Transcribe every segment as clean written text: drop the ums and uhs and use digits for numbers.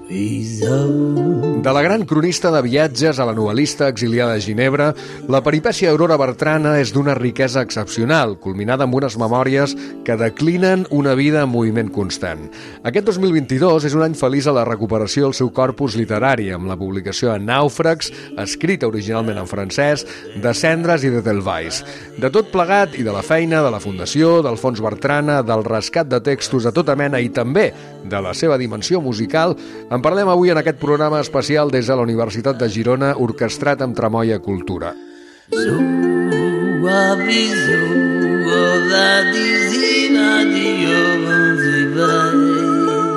De la gran cronista de viatges a la novel·lista exiliada a Ginebra, la peripècia d'Aurora Bertrana és d'una riquesa excepcional, culminada amb unes memòries que declinen una vida en moviment constant. Aquest 2022 és un any feliç a la recuperació del seu corpus literari, amb la publicació de Nàufrags, escrita originalment en francès, de Cendres i de Delvais. De tot plegat i de la feina de la Fundació, del Fons Bertrana, del rescat de textos de tota mena i també de la seva dimensió musical, en parlem avui en aquest programa especial des de la Universitat de Girona, orquestrat amb Tramoia Cultura.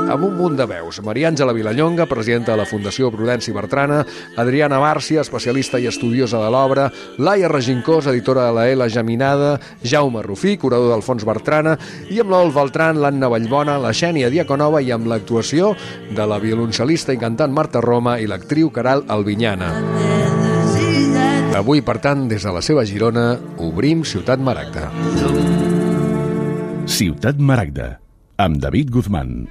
Amb un munt de veus, Maria Àngela Vilallonga, presidenta de la Fundació Prudenci Bertrana, Adriana Bárcia, especialista i estudiosa de l'obra, Laia Regincós, editora de la L Geminada, Jaume Rufí, curador del Fons Bertrana, i amb l'Ol Beltran, l'Anna Vallbona, la Xènia Diaconova i amb l'actuació de la violoncel·lista i cantant Marta Roma i l'actriu Caral Albinyana. Avui, per tant, des de la seva Girona, obrim Ciutat Maragda. Ciutat Maragda, amb David Guzmán.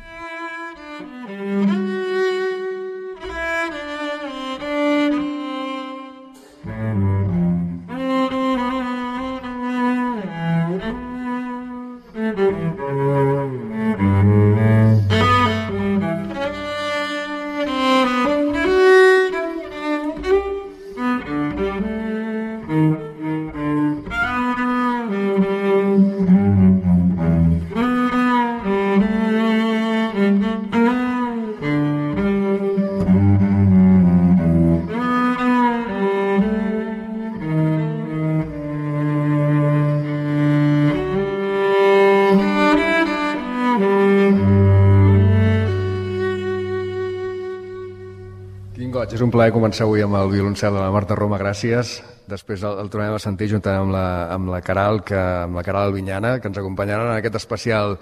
És un plaer començar avui amb el violoncel de la Marta Roma, gràcies. Després el tornem a sentir juntament amb la Caral Albinyana, que ens acompanyaran en aquest especial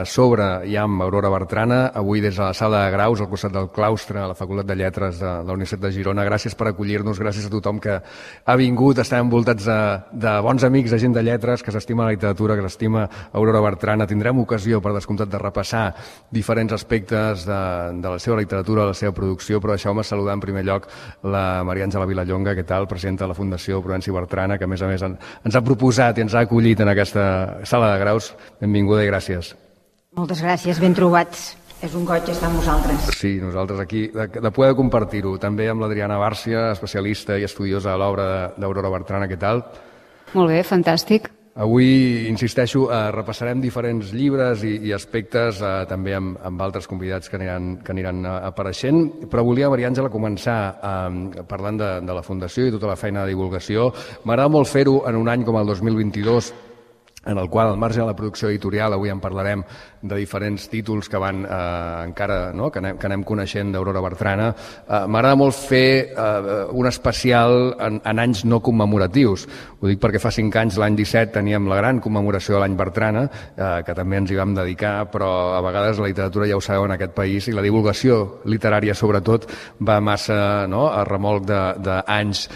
sobre i amb Aurora Bertrana, avui des de la sala de graus, al costat del claustre, a la Facultat de Lletres de la Universitat de Girona. Gràcies per acollir-nos, gràcies a tothom que ha vingut. Estem envoltats de bons amics, de gent de lletres, que s'estima la literatura, que s'estima Aurora Bertrana. Tindrem ocasió, per descomptat, de repassar diferents aspectes de la seva literatura, de la seva producció, però deixeu-me saludar en primer lloc la Maria Àngela Vilallonga, què tal, presidenta de la Fundació Prudenci Bertrana, que a més ens ha proposat i ens ha acollit en aquesta sala de graus. Benvinguda i gràcies. Moltes gràcies, ben trobats. És un goig estar amb vosaltres. Sí, nosaltres aquí, de poder compartir-ho. També amb l'Adriana Bárcia, especialista i estudiosa de l'obra d'Aurora Bertrana, què tal? Molt bé, fantàstic. Avui, insisteixo, repassarem diferents llibres i aspectes, també amb altres convidats que aniran apareixent, però volia, Maria Àngela, començar parlant de la Fundació i tota la feina de divulgació. M'agrada molt fer-ho en un any com el 2022, en el qual, al marge de la producció editorial, avui en parlarem de diferents títols que van encara, no?, que anem coneixent d'Aurora Bertrana. M'agrada molt fer un especial en anys no commemoratius. Ho dic perquè fa 5 anys, l'any 17, teníem la gran commemoració de l'any Bertrana, que també ens hi vam dedicar, però a vegades la literatura, ja ho sabeu, en aquest país, i la divulgació literària, sobretot, va massa, no?, a remolc d'anys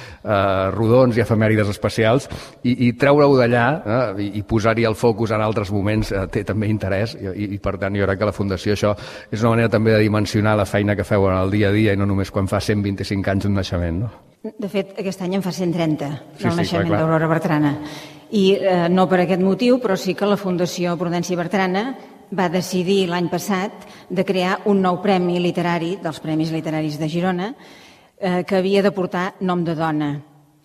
rodons i efemèrides especials, i treure-ho d'allà i posar-hi el focus en altres moments té també interès, i per tant jo crec que la Fundació això és una manera també de dimensionar la feina que feu en el dia a dia i no només quan fa 125 anys d'un naixement, no? De fet, aquest any en fa 130 del naixement d'Aurora Bertrana. I no per aquest motiu, però sí que la Fundació Prudenci Bertrana va decidir l'any passat de crear un nou premi literari dels Premis Literaris de Girona que havia de portar nom de dona.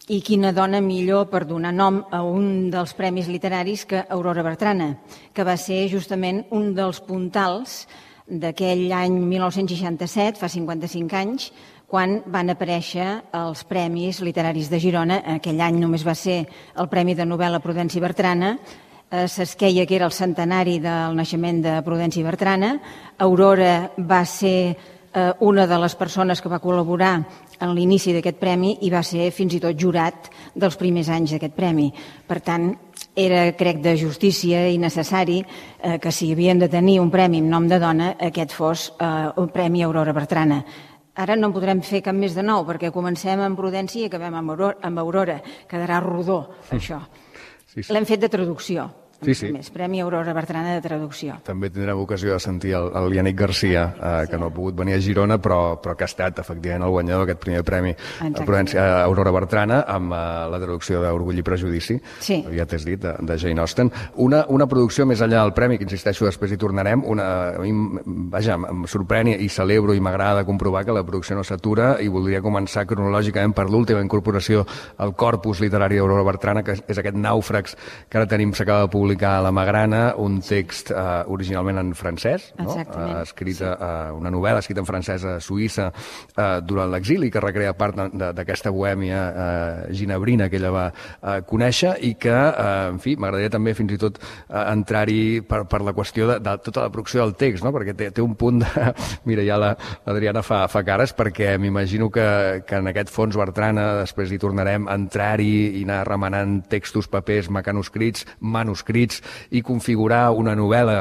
I quina dona millor per donar nom a un dels premis literaris que Aurora Bertrana, que va ser justament un dels puntals d'aquell any 1967, fa 55 anys, quan van aparèixer els Premis Literaris de Girona. Aquell any només va ser el Premi de Novel·la Prudenci Bertrana, s'esqueia que era el centenari del naixement de Prudenci Bertrana. Aurora va ser una de les persones que va col·laborar en l'inici d'aquest premi i va ser fins i tot jurat dels primers anys d'aquest premi. Per tant, era, crec, de justícia i necessari que si havien de tenir un premi amb nom de dona, aquest fos un Premi Aurora Bertrana. Ara no en podrem fer cap més de nou, perquè comencem amb Prudenci i acabem amb Aurora. Quedarà rodó, això. L'hem fet de traducció. Més Premi Aurora Bertrana de Traducció. També tindrem ocasió de sentir el Yannick Garcia, que no ha pogut venir a Girona, però que ha estat, efectivament, el guanyador d'aquest primer premi Aurora Bertrana amb la traducció d'Orgull i Prejudici, ja t'has dit, de Jane Austen. Una producció més enllà del premi, que insisteixo, després hi tornarem, em sorprèn i celebro i m'agrada comprovar que la producció no s'atura, i voldria començar cronològicament per l'última incorporació al corpus literari d'Aurora Bertrana, que és aquest Nàufrags, que ara tenim, s'acaba de publicar a la Magrana, un text originalment en francès, una novel·la escrita en francès a Suïssa durant l'exili, que recrea part d'aquesta bohèmia ginebrina que ella va conèixer, i que, en fi, m'agradaria també fins i tot entrar-hi per la qüestió de tota la producció del text, perquè té un punt de... Mira, ja l'Adriana fa cares, perquè m'imagino que en aquest fons Bertrana, després hi tornarem, entrar-hi i anar remenant textos, papers, mecanoscrits, manuscrits, i configurar una novel·la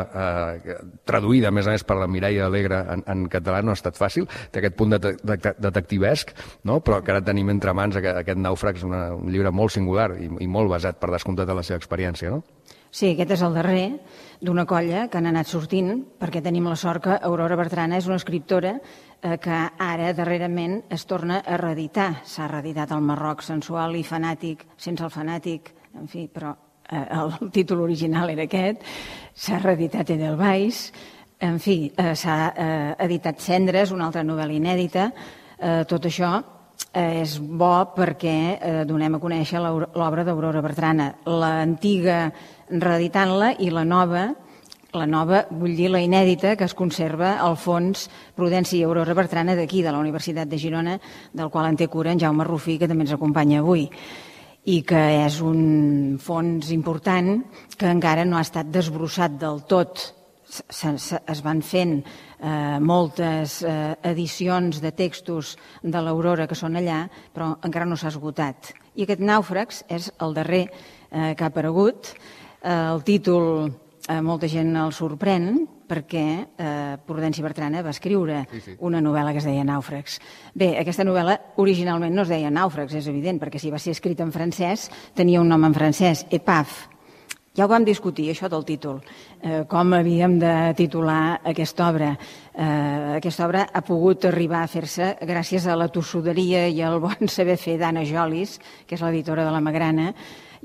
traduïda, a més per la Mireia Alegre en català, no ha estat fàcil. Té aquest punt detectivesc, però que ara tenim entre mans aquest Nàufrags, un llibre molt singular i molt basat, per descomptat, en la seva experiència, no? Sí, aquest és el darrer d'una colla que han anat sortint, perquè tenim la sort que Aurora Bertrana és una escriptora que ara, darrerament, es torna a reeditar. S'ha reeditat el Marroc sensual i fanàtic, sense el fanàtic, en fi, però el títol original era aquest, s'ha reeditat Edelweiss, en fi, s'ha editat Cendres, una altra novel·la inèdita. Tot això és bo perquè donem a conèixer l'obra d'Aurora Bertrana, l'antiga reeditant-la i la nova, vull dir la inèdita, que es conserva al fons Prudència i Aurora Bertrana d'aquí, de la Universitat de Girona, del qual en té cura en Jaume Rufí, que també ens acompanya avui, i que és un fons important que encara no ha estat desbrossat del tot. Es van fent moltes edicions de textos de l'Aurora que són allà, però encara no s'ha esgotat. I aquest Nàufrags és el darrer que ha aparegut. El títol molta gent el sorprèn, perquè Prudència Bertrana va escriure una novel·la que es deia Nàufrags. Bé, aquesta novel·la originalment no es deia Nàufrags, és evident, perquè si va ser escrita en francès tenia un nom en francès, Épave. Ja ho vam discutir, això del títol, com havíem de titular aquesta obra. Aquesta obra ha pogut arribar a fer-se gràcies a la tossuderia i al bon saber fer d'Anna Jolis, que és l'editora de la Magrana.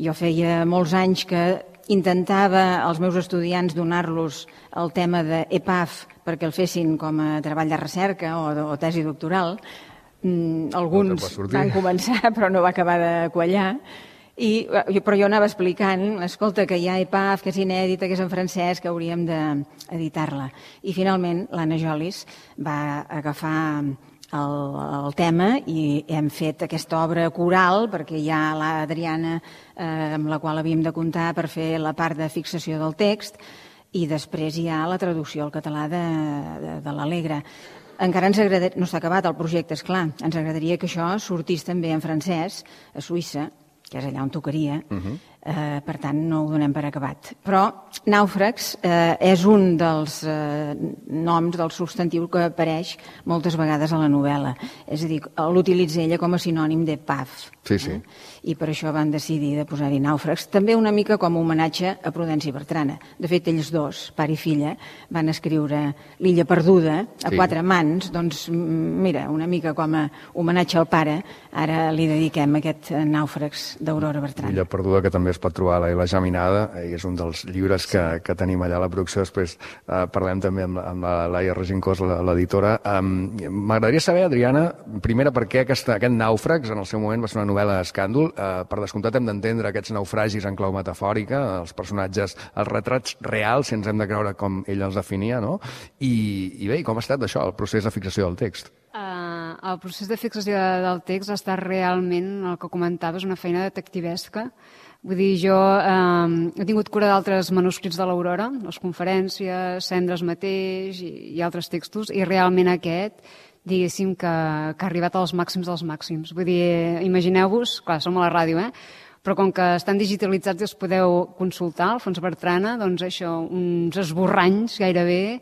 Jo feia molts anys que intentava als meus estudiants donar-los el tema d'Épave perquè el fessin com a treball de recerca o tesi doctoral. Alguns van començar però no va acabar de quallar. Però jo anava explicant, escolta, que hi ha Épave, que és inèdita, que és en francès, que hauríem d'editar-la. I finalment l'Anna Jolis va agafar el tema i hem fet aquesta obra coral, perquè hi ha l'Adriana amb la qual havíem de comptar per fer la part de fixació del text, i després hi ha la traducció al català de l'Alegre. Encara ens agradaria, no està acabat el projecte, esclar, ens agradaria que això sortís també en francès a Suïssa, que és allà on tocaria, per tant no ho donem per acabat. Però Nàufrags és un dels noms del substantiu que apareix moltes vegades a la novel·la. És a dir, l'utilitza ella com a sinònim d'Épave. I per això van decidir de posar-hi Nàufrags. També una mica com a homenatge a Prudència Bertrana. De fet, ells dos, pare i filla, van escriure L'illa perduda a 4 mans. Doncs mira, una mica com a homenatge al pare, ara li dediquem aquest Nàufrags d'Aurora Bertrana. L'illa perduda, que també es pot trobar a la Geminada, i és un dels llibres que tenim allà a la producció. Després parlem també amb la Laia Regincós, l'editora. M'agradaria saber, Adriana, primera, per què aquest Nàufrags en el seu moment va ser una novel·la escàndol. Per descomptat hem d'entendre aquests naufragis en clau metafòrica, els personatges, els retrats reals, si ens hem de creure com ell els definia, no? I bé, com ha estat això, el procés de fixació del text? El procés de fixació del text ha estat realment, el que comentaves, una feina detectivesca. Vull dir, jo he tingut cura d'altres manuscrits de l'Aurora, les conferències, Cendres mateix i altres textos, i realment aquest, diguéssim, que ha arribat als màxims dels màxims. Vull dir, imagineu-vos, clar, som a la ràdio, però com que estan digitalitzats i els podeu consultar, al fons Bertrana, doncs això, uns esborranys gairebé,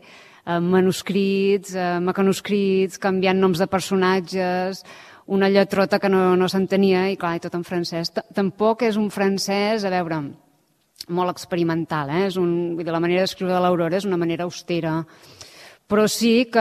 manuscrits, mecanoscrits, canviant noms de personatges, una lletrota que no s'entenia, i clar, i tot en francès. Tampoc és un francès, a veure, molt experimental, vull dir, la manera d'escriure de l'Aurora és una manera austera, però sí que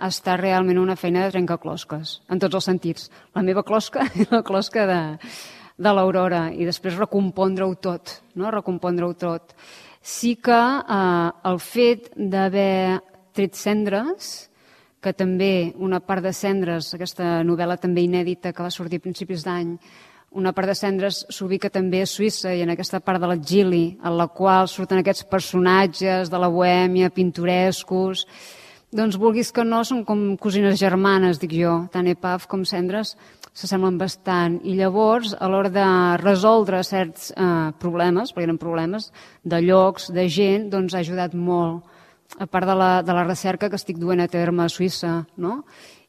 està realment una feina de trencaclosques, en tots els sentits. La meva closca i la closca de l'Aurora, i després recompondre-ho tot, no? Recompondre-ho tot. Sí que el fet d'haver tret Cendres, que també una part de Cendres, aquesta novel·la també inèdita que va sortir a principis d'any, una part de Cendres s'ubica també a Suïssa i en aquesta part de l'exili, en la qual surten aquests personatges de la bohèmia, pintorescos. Doncs vulguis que no, són com cosines germanes, dic jo. Tant Epaf com Cendres s'assemblen bastant. I llavors, a l'hora de resoldre certs problemes, perquè eren problemes de llocs, de gent, doncs ha ajudat molt. A part de la recerca que estic duent a terme a Suïssa, no?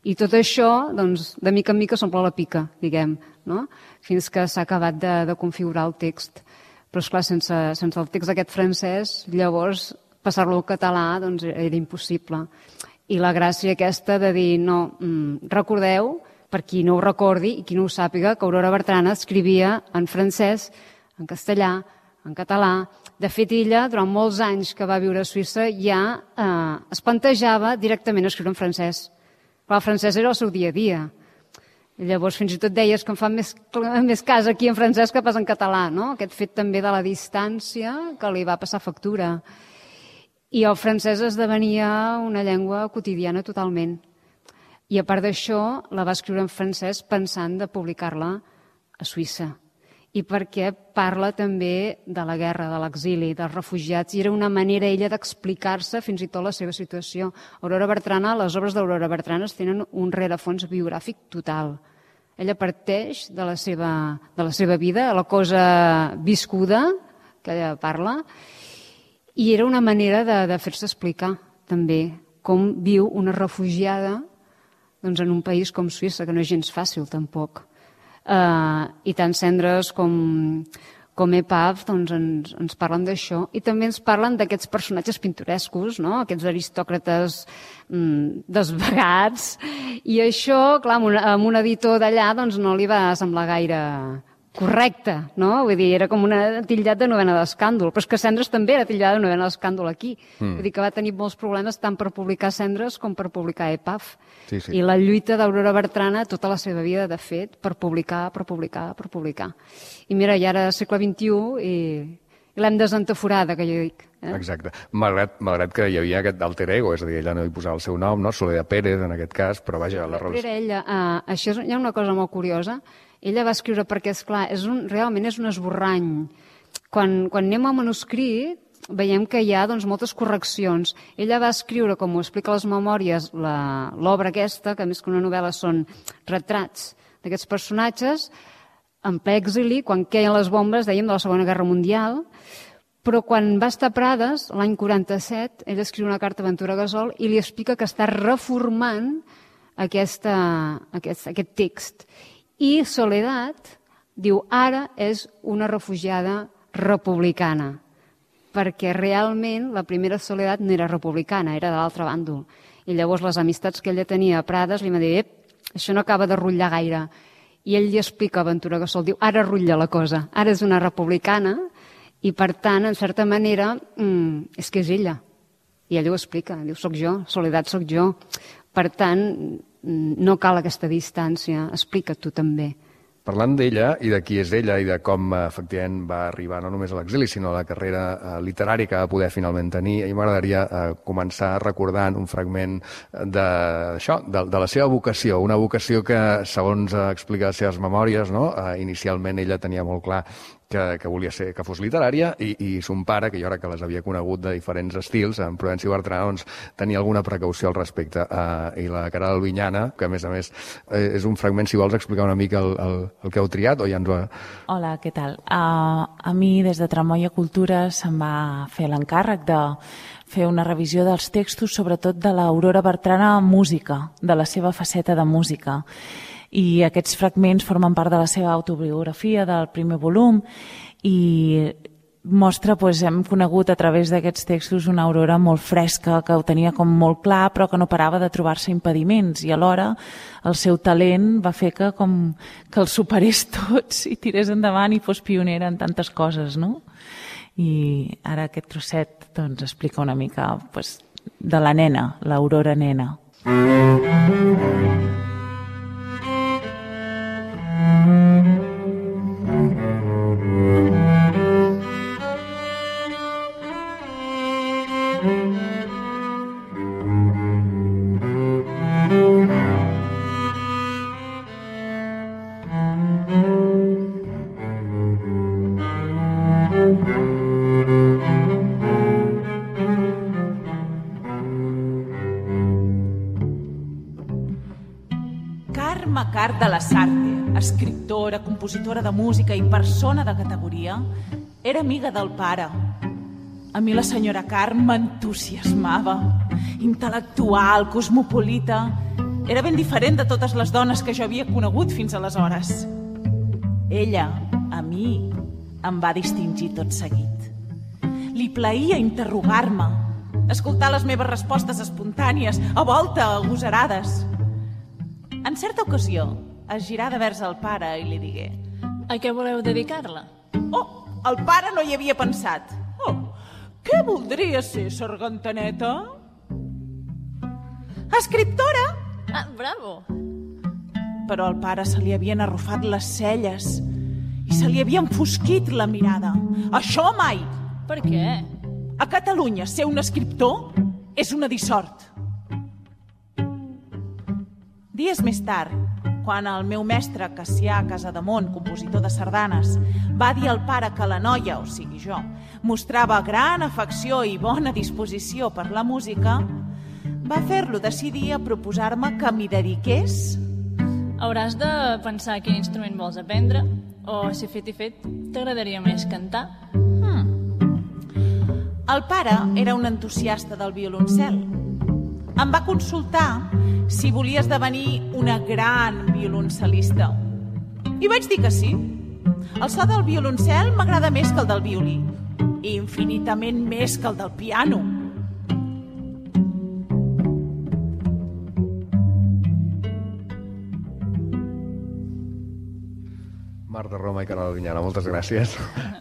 I tot això, doncs, de mica en mica s'omple la pica, diguem, no? Fins que s'ha acabat de configurar el text. Però, esclar, sense el text aquest francès, llavors, passar-lo al català, doncs, era impossible. I la gràcia aquesta de dir, no, recordeu, per qui no ho recordi i qui no ho sàpiga, que Aurora Bertrana escrivia en francès, en castellà, en català. De fet, ella, durant molts anys que va viure a Suïssa, ja es plantejava directament escriure en francès. Però el francès era el seu dia a dia. I llavors fins i tot deies que em fan més cas aquí en francès que pas en català, no? Aquest fet també de la distància que li va passar factura. I el francès esdevenia una llengua quotidiana totalment. I a part d'això, la va escriure en francès pensant de publicar-la a Suïssa. I perquè parla també de la guerra, de l'exili, dels refugiats, i era una manera ella d'explicar-se fins i tot la seva situació. Aurora Bertrana, les obres d'Aurora Bertrana tenen un rerefons biogràfic total. Ella parteix de la seva vida, la cosa viscuda que ella parla, i era una manera de fer-se explicar també com viu una refugiada doncs, en un país com Suïssa, que no és gens fàcil tampoc. I tant Cendres com Epaf doncs ens parlen d'això i també ens parlen d'aquests personatges pintorescos, no? Aquests aristòcrates desvagats, i això, clar, a un editor d'allà doncs, no li va semblar gaire correcte, no? Vull dir, era com una titllat de novena d'escàndol, però és que Cendres també era titllat de novena d'escàndol aquí. Vull dir que va tenir molts problemes tant per publicar Cendres com per publicar Epaf. Sí. I la lluita d'Aurora Bertrana tota la seva vida, de fet, per publicar. I mira, ja era segle XXI i l'hem desentaforada, que jo dic. Exacte. Malgrat que hi havia aquest alter ego, és a dir, ella no hi posava el seu nom, no? Soledad Pérez, en aquest cas, però vaja... Era ella. Això hi ha una cosa molt curiosa. Ella va escriure perquè, esclar, realment és un esborrany. Quan anem al manuscrit, veiem que hi ha doncs, moltes correccions. Ella va escriure, com ho explica a les memòries, l'obra aquesta, que més que una novel·la són retrats d'aquests personatges, en ple exili, quan queien les bombes, dèiem, de la Segona Guerra Mundial, però quan va estar a Prades, l'any 47, ella escriu una carta a Ventura Gasol i li explica que està reformant aquest text. I Soledad diu, ara és una refugiada republicana, perquè realment la primera Soledad no era republicana, era de l'altre bàndol. I llavors les amistats que ella tenia a Prades li van dir, això no acaba de rutllar gaire. I ell li explica a Ventura Gasol, diu, ara rutlla la cosa, ara és una republicana i per tant, en certa manera, és que és ella. I ell ho explica, diu, soc jo, Soledad soc jo. Per tant, no cal aquesta distància, explica't tu també. Parlant d'ella i de qui és ella i de com efectivament va arribar no només a l'exili, sinó a la carrera literària que va poder finalment tenir, a mi m'agradaria començar recordant un fragment d'això, de la seva vocació, una vocació que, segons explica les seves memòries, no? Inicialment ella tenia molt clar que volia ser, que fos literària, i son pare, que jo ara que les havia conegut de diferents estils, en Prudenci Bertrana, doncs, tenia alguna precaució al respecte. I la Caral Albinyana, que a més és un fragment, si vols explicar una mica el que heu triat, o ja ens ho... Hola, què tal? A mi, des de Tramoia Cultura, se'm va fer l'encàrrec de fer una revisió dels textos, sobretot de l'Aurora Bertrana en música, de la seva faceta de música. I aquests fragments formen part de la seva autobiografia del primer volum i mostra, hem conegut a través d'aquests textos una Aurora molt fresca, que ho tenia com molt clar, però que no parava de trobar-se impediments, i alhora el seu talent va fer que els superés tots i tirés endavant i fos pionera en tantes coses, no? I ara aquest trosset doncs, explica una mica de la nena, l'Aurora nena. Carme de la Sarte, escriptora, compositora de música i persona de categoria, era amiga del pare. A mi la senyora Carme m'entusiasmava. Intel·lectual, cosmopolita. Era ben diferent de totes les dones que jo havia conegut fins aleshores. Ella, a mi, em va distingir tot seguit. Li plaïa interrogar-me, escoltar les meves respostes espontànies, a volta agosarades. En certa ocasió, es girà de vers al pare i li digué: a què voleu dedicar-la? Oh, el pare no hi havia pensat. Oh, què voldria ser, sargantaneta? Escriptora! Ah, bravo! Però al pare se li havien arrufat les celles i se li havia enfosquit la mirada. Això mai! Per què? A Catalunya ser un escriptor és una dissort. Dies més tard, quan el meu mestre Cassià Casademont, compositor de sardanes, va dir al pare que la noia, o sigui jo, mostrava gran afecció i bona disposició per la música, va fer-lo decidir a proposar-me que m'hi dediqués. Hauràs de pensar quin instrument vols aprendre, o, si fet i fet, t'agradaria més cantar. El pare era un entusiasta del violoncel. Em va consultar si volia esdevenir una gran violoncel·lista. I vaig dir que sí. El so del violoncel m'agrada més que el del violí, i infinitament més que el del piano. Mar de Roma i Canal Vinyana, moltes gràcies.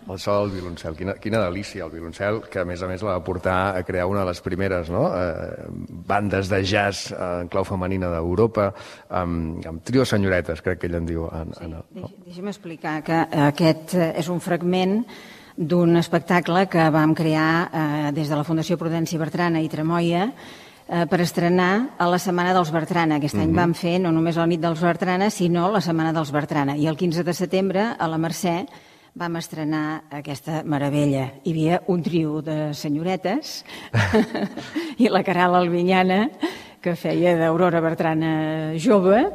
El so del violoncel, quina delícia el violoncel, que a més la va portar a crear una de les primeres bandes de jazz en clau femenina d'Europa, amb trio senyoretes, crec que ell en diu. Deixa'm explicar que aquest és un fragment d'un espectacle que vam crear des de la Fundació Prudenci Bertrana i Tremoia per estrenar a la Setmana dels Bertrana. Aquest any vam fer no només la nit dels Bertrana, sinó la Setmana dels Bertrana. I el 15 de setembre, a la Mercè, vam estrenar aquesta meravella. Hi havia un trio de senyoretes i la Caral Albinyana, que feia d'Aurora Bertrana jove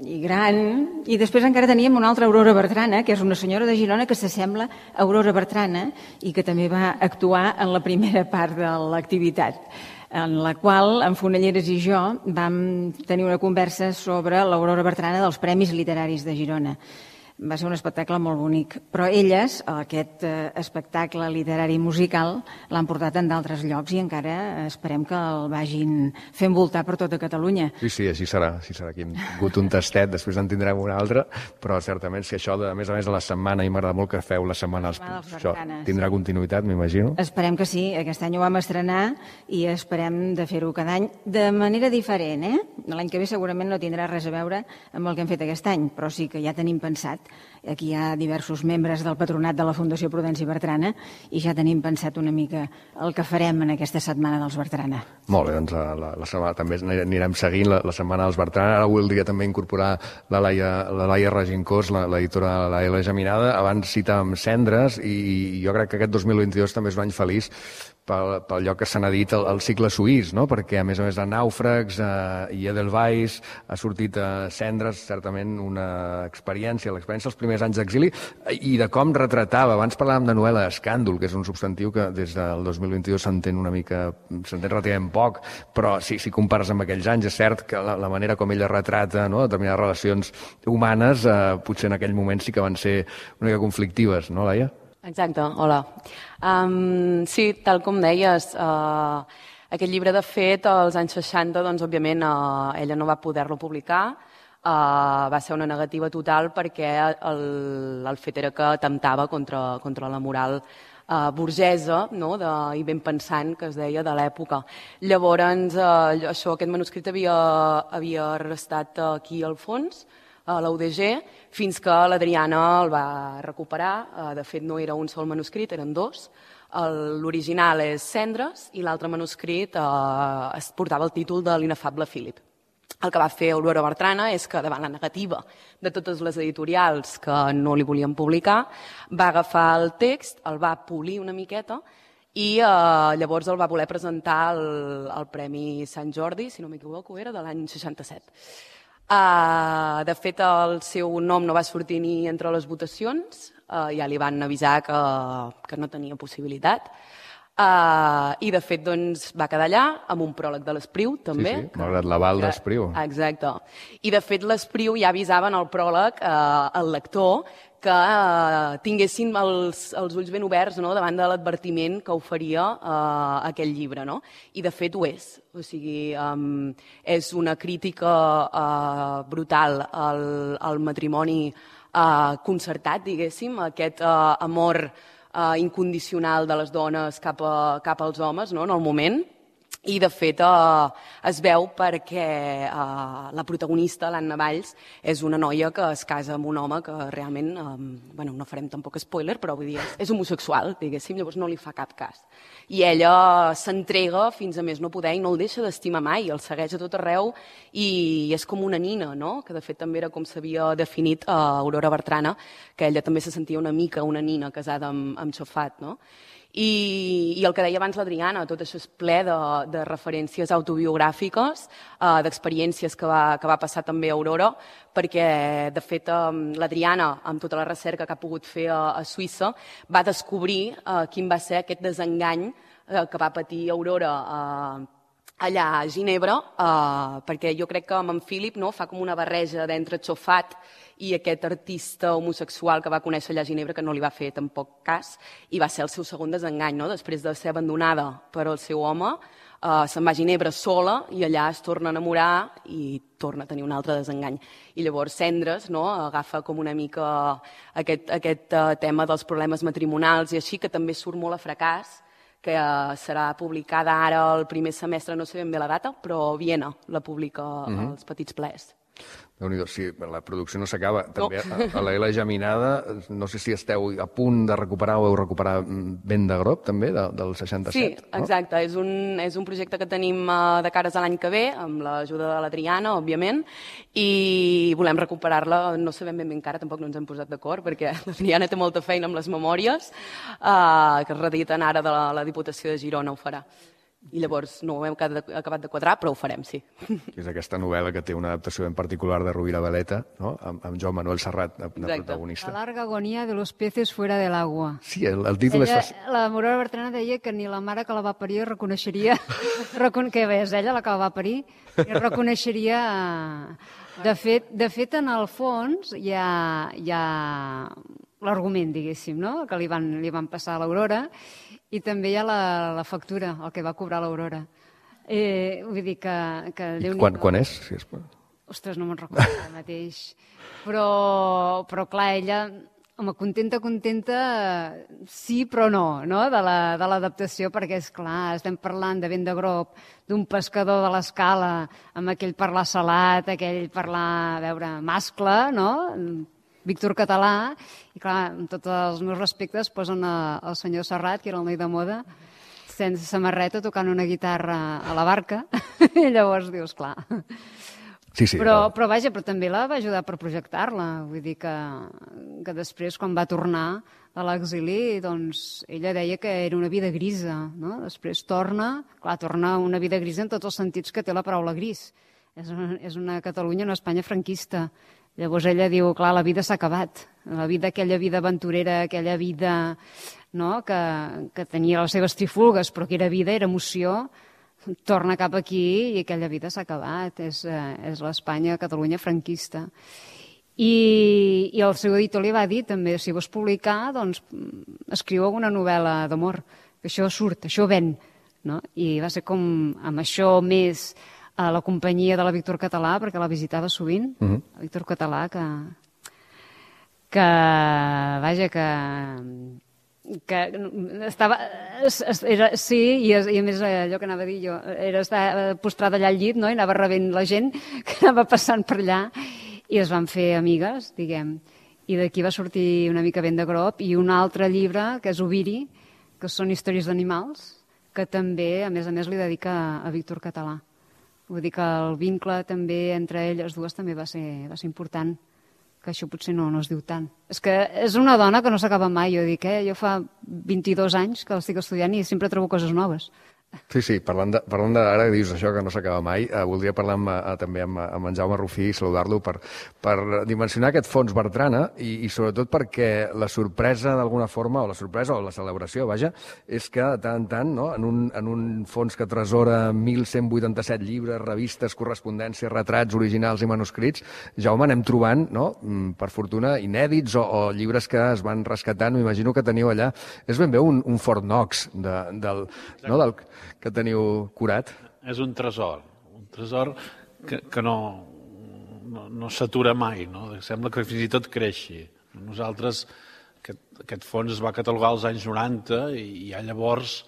i gran, i després encara teníem una altra Aurora Bertrana, que és una senyora de Girona que s'assembla a Aurora Bertrana i que també va actuar en la primera part de l'activitat, en la qual en Fonelleres i jo vam tenir una conversa sobre l'Aurora Bertrana dels Premis Literaris de Girona. Va ser un espectacle molt bonic, però elles, aquest espectacle literari i musical, l'han portat en d'altres llocs i encara esperem que el vagin fent voltar per tota Catalunya. Sí, així serà. Aquí hem tingut un tastet, després en tindrem un altre, però certament si això, a més de la setmana, i m'agrada molt que feu la setmana, això tindrà continuïtat, m'imagino. Esperem que sí, aquest any ho vam estrenar i esperem de fer-ho cada any de manera diferent. L'any que ve segurament no tindrà res a veure amb el que hem fet aquest any, però sí que ja tenim pensat. Aquí hi ha diversos membres del patronat de la Fundació Prudenci Bertrana i ja tenim pensat una mica el que farem en aquesta Setmana dels Bertrana. Molt bé, doncs la setmana també anirem seguint la Setmana dels Bertrana. Ara voldria també incorporar la Laia Regincós, l'editora de la L Geminada. Abans citàvem Cendres i jo crec que aquest 2022 també és un any feliç pel lloc que se n'ha dit el cicle suís, no? Perquè a més de Nàufrags i Edelweiss ha sortit Cendres, certament una experiència, l'experiència dels primers anys d'exili i de com retratava. Abans parlàvem de novel·la escàndol, que és un substantiu que des del 2022 s'entén relativament poc, però si compares amb aquells anys, és cert que la manera com ella retrata determinades relacions humanes potser en aquell moment sí que van ser una mica conflictives, no, Laia? Exacte, hola. Sí, tal com deies, aquest llibre, de fet, als anys 60, doncs, òbviament, ella no va poder-lo publicar, va ser una negativa total perquè el fet era que atemptava contra la moral burgesa, no? I ben pensant, que es deia, de l'època. Llavors, aquest manuscrit havia restat aquí al fons, a la UDG, fins que l'Adriana el va recuperar. De fet, no era un sol manuscrit, eren dos. L'original és Cendres i l'altre manuscrit es portava el títol de l'Inefable Philip. El que va fer Aurora Bertrana és que, davant la negativa de totes les editorials que no li volien publicar, va agafar el text, el va polir una miqueta i llavors el va voler presentar al Premi Sant Jordi, si no m'equivoco, era de l'any 67. De fet, el seu nom no va sortir ni entre les votacions, ja li van avisar que no tenia possibilitat. I de fet va quedar allà amb un pròleg de l'Espriu també. Sí, malgrat l'aval d'Espriu. Exacte. I de fet l'Espriu ja avisava en el pròleg al lector que tinguessin els ulls ben oberts davant de l'advertiment que oferia aquell llibre. I de fet ho és. O sigui, és una crítica brutal al matrimoni concertat, diguéssim, aquest amor incondicional de les dones cap als homes en el moment. I, de fet, es veu perquè la protagonista, l'Anna Valls, és una noia que es casa amb un home que realment, no farem tampoc spoiler, però vull dir, és homosexual, diguéssim, llavors no li fa cap cas. I ella s'entrega fins a més no poder i no el deixa d'estimar mai, el segueix a tot arreu i és com una nina, que de fet també era com s'havia definit Aurora Bertrana, que ella també se sentia una mica una nina casada amb xofat, no? I el que deia abans l'Adriana, tot això és ple de referències autobiogràfiques, d'experiències que va passar també a Aurora, perquè, de fet, l'Adriana, amb tota la recerca que ha pogut fer a Suïssa, va descobrir quin va ser aquest desengany que va patir Aurora allà a Ginebra, perquè jo crec que amb en Philip fa com una barreja d'entre xofat i aquest artista homosexual que va conèixer allà a Ginebra, que no li va fer tampoc cas, i va ser el seu segon desengany, després de ser abandonada per el seu home, se'n va a Ginebra sola i allà es torna a enamorar i torna a tenir un altre desengany. I llavors Cendres agafa com una mica aquest tema dels problemes matrimonials i així, que també surt molt a Fracàs, que serà publicada ara el primer semestre, no sé ben bé la data, però Viena la publica als Petits Plers. Déu-n'hi-do, sí, la producció no s'acaba. També a la L Geminada, no sé si esteu a punt de recuperar o heu recuperat Vent de Groc, també, del 67. Sí, exacte. És un projecte que tenim de cares a l'any que ve, amb l'ajuda de l'Adriana, òbviament, i volem recuperar-la, no sabem ben encara, tampoc no ens hem posat d'acord, perquè l'Adriana té molta feina amb les memòries, que es rediten ara de la Diputació de Girona, ho farà. I llavors no ho hem acabat de quadrar, però ho farem, sí. És aquesta novel·la que té una adaptació ben particular de Rovira Valeta, amb Joan Manuel Serrat de protagonista. La larga agonia de los peces fuera del agua. Sí, el títol és fàcil. La Aurora Bertrana deia que ni la mare que la va parir reconeixeria, que és ella la que la va parir, i reconeixeria... De fet, en el fons hi ha l'argument, diguéssim, que li van passar a l'Aurora, i també hi ha la factura, el que va cobrar l'Aurora. Vull dir que Quan és? Si és... Ostres, no me'n recordo ara mateix. Però clar, ella, contenta, sí però no, de l'adaptació, perquè, és clar, estem parlant de Vent de Groc, d'un pescador de l'Escala, amb aquell parlar salat, aquell parlar, mascle, no?, Víctor Català, i clar, amb tots els meus respectes posen el senyor Serrat, que era el noi de moda, sense samarreta, tocant una guitarra a la barca, i llavors dius, clar. Sí, però vaja, però també la va ajudar per projectar-la, vull dir que després, quan va tornar a l'exili, doncs ella deia que era una vida grisa, no? Després torna una vida grisa en tots els sentits que té la paraula gris. És una Catalunya, una Espanya franquista. Llavors ella diu, clar, la vida s'ha acabat. Aquella vida aventurera, aquella vida que tenia les seves trifulgues, però que era vida, era emoció, torna cap aquí i aquella vida s'ha acabat. És l'Espanya, Catalunya franquista. I el seu editor li va dir també, si vols publicar, doncs escriu alguna novel·la d'amor, que això surt, això ven. I va ser com amb això més... a la companyia de la Víctor Català, perquè la visitava sovint, la Víctor Català, que que estava... Sí, i a més allò que anava a dir jo, era estar postrada allà al llit, no? I anava rebent la gent que anava passant per allà i es van fer amigues, diguem. I d'aquí va sortir una mica vent de grop i un altre llibre, que és Oviri, que són històries d'animals, que també, a més, li dedica a Víctor Català. Vull dir que el vincle també entre elles dues també va ser important, que això potser no es diu tant. És que és una dona que no s'acaba mai, jo dic, jo fa 22 anys que l'estic estudiant i sempre trobo coses noves. Sí, parlant de ara que dius això que no s'acaba mai, voldria parlar també amb en Jaume Rufí i saludar-lo per dimensionar aquest fons Bertrana i sobretot perquè la sorpresa d'alguna forma, o la celebració, vaja, és que de tant en tant, no, en un fons que tresora 1.187 llibres, revistes, correspondències, retrats originals i manuscrits, Jaume, anem trobant, no, per fortuna, inèdits o llibres que es van rescatant, m'imagino que teniu allà. És ben bé un Fort Knox del que teniu curat? És un tresor que no s'atura mai, no? Sembla que fins i tot creixi. Nosaltres, aquest fons es va catalogar als anys 90 i ja llavors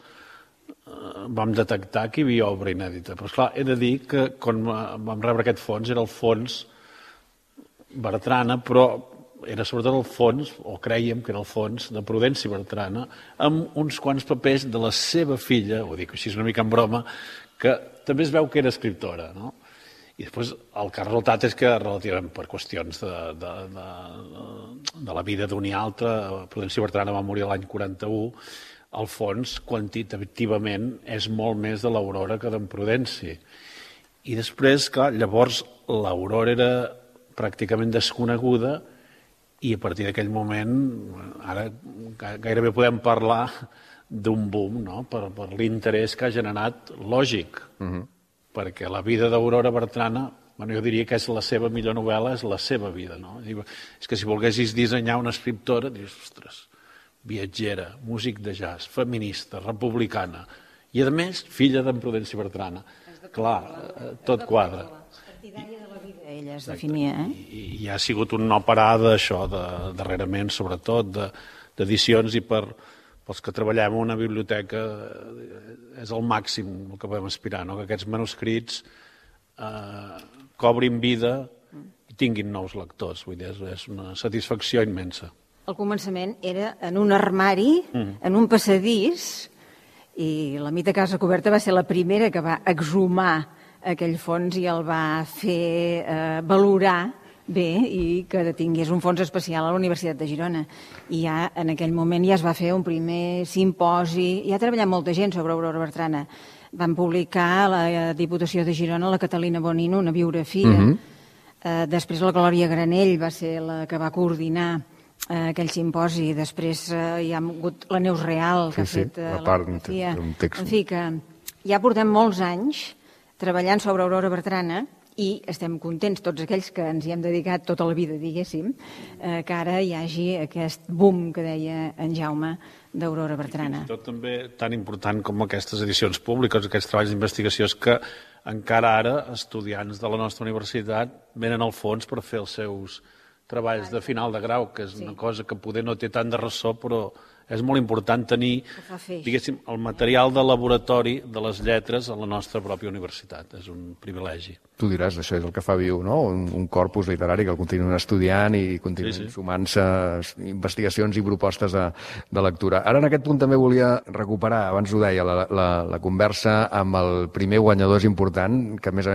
vam detectar que hi havia obra inèdita. Però esclar, he de dir que quan vam rebre aquest fons era el fons Bertrana, però era sobretot el fons, o crèiem que era el fons, de Prudenci Bertrana, amb uns quants papers de la seva filla, ho dic així una mica en broma, que també es veu que era escriptora, no? I després el que ha resultat és que relativament per qüestions de la vida d'un i altre, Prudenci Bertrana va morir l'any 41, el fons quantitativament és molt més de l'Aurora que d'en Prudenci. I després, clar, llavors l'Aurora era pràcticament desconeguda i a partir d'aquell moment, ara gairebé podem parlar d'un boom, no? Per l'interès que ha generat lògic, perquè la vida d'Aurora Bertrana, jo diria que és la seva millor novel·la, és la seva vida, no? És que si volguessis dissenyar una escriptora, dius, ostres, viatgera, músic de jazz, feminista, republicana, i a més, filla d'en Prudenci Bertrana. Clar, tot quadra. Partidària de la vida, ella es definia, I ha sigut un no parar d'això, darrerament, sobretot, d'edicions, i pels que treballem en una biblioteca és el màxim el que podem aspirar, no? Que aquests manuscrits cobrin vida i tinguin nous lectors. Vull dir, és una satisfacció immensa. El començament era en un armari, en un passadís, i la Mita Casa Coberta va ser la primera que va exhumar aquell fons i el va fer valorar bé i que tingués un fons especial a la Universitat de Girona. I ja en aquell moment ja es va fer un primer simposi, ja ha treballat molta gent sobre Aurora Bertrana. Van publicar a la Diputació de Girona la Catalina Bonino, una biografia. Després la Glòria Granell va ser la que va coordinar aquell simposi. Després hi ha hagut la Neus Real, que ha fet la biografia. En fi, que ja portem molts anys treballant sobre Aurora Bertrana i estem contents, tots aquells que ens hi hem dedicat tota la vida, diguéssim, que ara hi hagi aquest boom que deia en Jaume d'Aurora Bertrana. Tot també tan important com aquestes edicions públiques, aquests treballs d'investigació, és que encara ara estudiants de la nostra universitat venen al fons per fer els seus treballs de final de grau, que és una cosa que poder no té tant de ressò, però és molt important tenir, diguéssim, el material de laboratori de les lletres a la nostra pròpia universitat. És un privilegi. Tu diràs, això és el que fa viu, no? Un corpus literari que el continuen estudiant i continuen sumant-se investigacions i propostes de lectura. Ara, en aquest punt, també volia recuperar, abans ho deia, la conversa amb el primer guanyador és important, que a més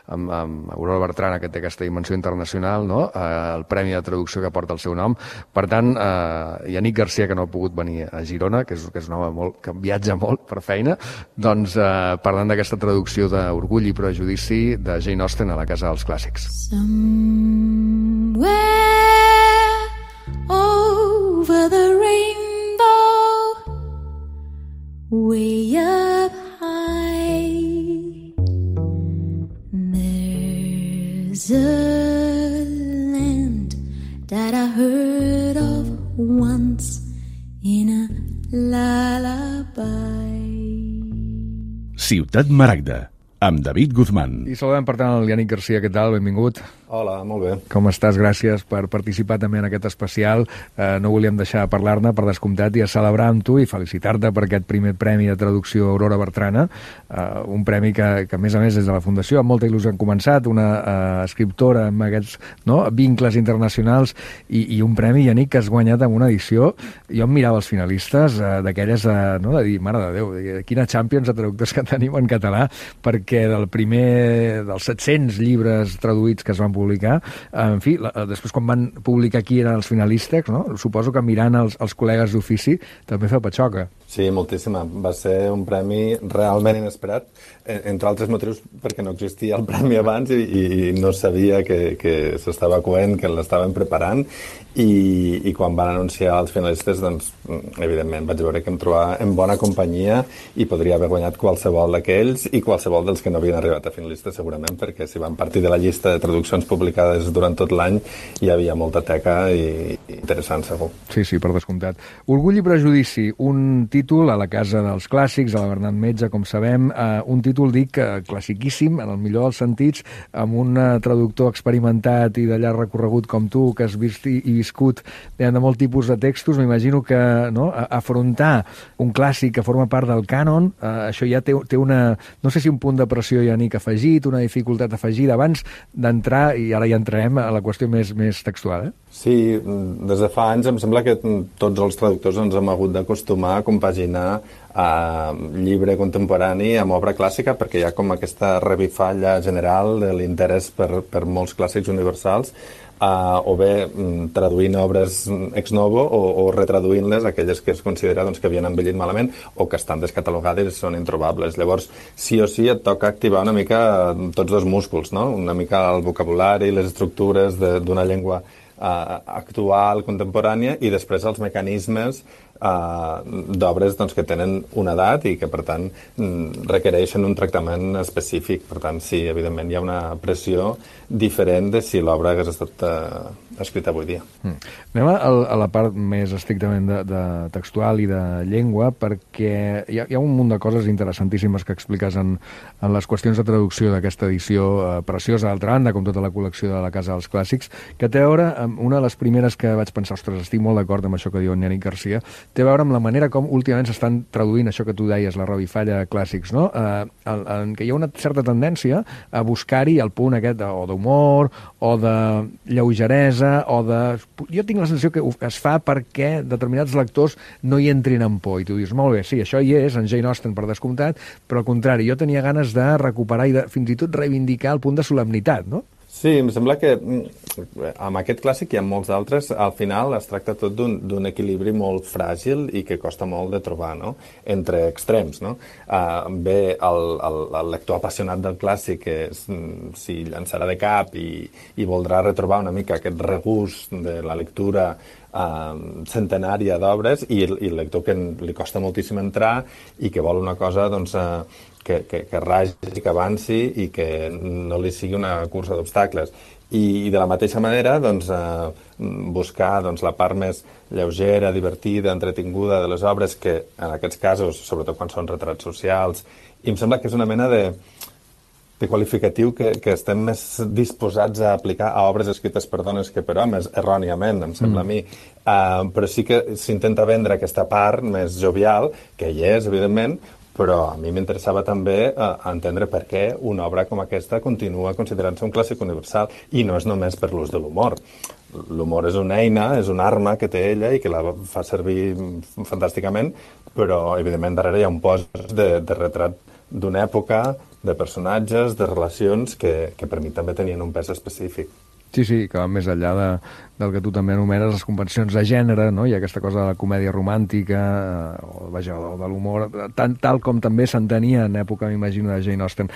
amb Aurora Bertrana, que té aquesta dimensió internacional, no? El Premi de Traducció que porta el seu nom. Per tant, Yannick Garcia, que no ha pogut venir a Girona, que és un home que viatja molt per feina, doncs parlant d'aquesta traducció d'Orgull i Prejudici de Jane Austen a la Casa dels Clàssics. Somewhere over the rainbow, way up high, there's a land that I heard of once in a lullaby. Ciutat Maragda, amb David Guzmán. I saludem, per tant, el Yannick Garcia. Què tal? Benvingut. Hola, molt bé. Com estàs? Gràcies per participar també en aquest especial. No volíem deixar de parlar-ne, per descomptat, i a celebrar amb tu i felicitar-te per aquest primer premi de traducció Aurora Bertrana, un premi que a més a més, des de la Fundació, amb molta il·lusió han començat, una escriptora amb aquests vincles internacionals i un premi, Yannick, que has guanyat amb una edició. Jo em mirava els finalistes d'aquelles de dir, mare de Déu, quina Champions de traductors que tenim en català, perquè del primer dels 700 llibres traduïts que es van publicar, en fi, després quan van publicar qui eren els finalistes, no? Suposo que mirant els col·legues d'ofici també fa patxoca. Sí, moltíssima. Va ser un premi realment inesperat, entre altres motius perquè no existia el premi abans i no sabia que s'estava coent, que l'estaven preparant, i quan van anunciar els finalistes, doncs, evidentment, vaig veure que em trobava en bona companyia i podria haver guanyat qualsevol d'aquells i qualsevol dels que no havien arribat a finalistes, segurament, perquè si van partir de la llista de traduccions publicades durant tot l'any hi havia molta teca i interessant, segur. Sí, per descomptat. Orgull i prejudici, un títol a la Casa dels Clàssics, a la Bernat Metge, com sabem, un títol, dic, classiquíssim, en el millor dels sentits, amb un traductor experimentat i de llarg recorregut com tu, que has vist i viscut de molt tipus de textos. M'imagino que afrontar un clàssic que forma part del cànon, això ja té una, no sé si un punt de pressió, Yannick, afegit, una dificultat afegida, abans d'entrar, i ara ja entrarem a la qüestió més textual. Sí, des de fa anys em sembla que tots els traductors ens hem hagut d'acostumar a compaginar llibre contemporani amb obra clàssica, perquè hi ha com aquesta revifalla general de l'interès per molts clàssics universals, o bé traduint obres ex novo o retraduint-les, aquelles que es considera que havien envellit malament o que estan descatalogades i són introbables. Llavors, sí o sí et toca activar una mica tots dos músculs, no? Una mica el vocabulari, les estructures d'una llengua actual, contemporània, i després els mecanismes d'obres que tenen una edat i que, per tant, requereixen un tractament específic. Per tant, sí, evidentment, hi ha una pressió diferent de si l'obra hagués estat escrita avui dia. Anem a la part més estrictament de textual i de llengua, perquè hi ha un munt de coses interessantíssimes que expliques en les qüestions de traducció d'aquesta edició preciosa, d'altra banda, com tota la col·lecció de la Casa dels Clàssics, que té a veure amb una de les primeres que vaig pensar, ostres, estic molt d'acord amb això que diu en Yannick Garcia, té a veure amb la manera com últimament s'estan traduint això que tu deies, la revifalla de clàssics, no? En què hi ha una certa tendència a buscar-hi el punt aquest o d'humor, o de lleugeresa, o de... Jo tinc la sensació que es fa perquè determinats lectors no hi entrin en por, i tu dius, molt bé, sí, això hi és, en Jane Austen per descomptat, però al contrari, jo tenia ganes de recuperar i de fins i tot reivindicar el punt de solemnitat, no? Sí, em sembla que amb aquest clàssic i amb molts altres, al final es tracta tot d'un equilibri molt fràgil i que costa molt de trobar, no? Entre extrems, no? Ve el lector apassionat del clàssic que s'hi llançarà de cap i voldrà retrobar una mica aquest regust de la lectura centenària d'obres, i el lector que li costa moltíssim entrar i que vol una cosa, doncs, que ragi, que avanci i que no li sigui una cursa d'obstacles. I de la mateixa manera, doncs, buscar la part més lleugera, divertida, entretinguda de les obres, que en aquests casos, sobretot quan són retrats socials, i em sembla que és una mena de qualificatiu que estem més disposats a aplicar a obres escrites per dones que per homes, erròniament, em sembla a mi. Però sí que s'intenta vendre aquesta part més jovial, que hi és, evidentment, però a mi m'interessava també entendre per què una obra com aquesta continua considerant-se un clàssic universal, i no és només per l'ús de l'humor. L'humor és una eina, és una arma que té ella i que la fa servir fantàsticament, però evidentment darrere hi ha un post de retrat d'una època, de personatges, de relacions que per mi també tenien un pes específic. Sí, que va més enllà del que tu també anomenes les convencions de gènere, no? Hi ha aquesta cosa de la comèdia romàntica, o de l'humor, tal com també s'entenia en època, m'imagino, de Jane Austen.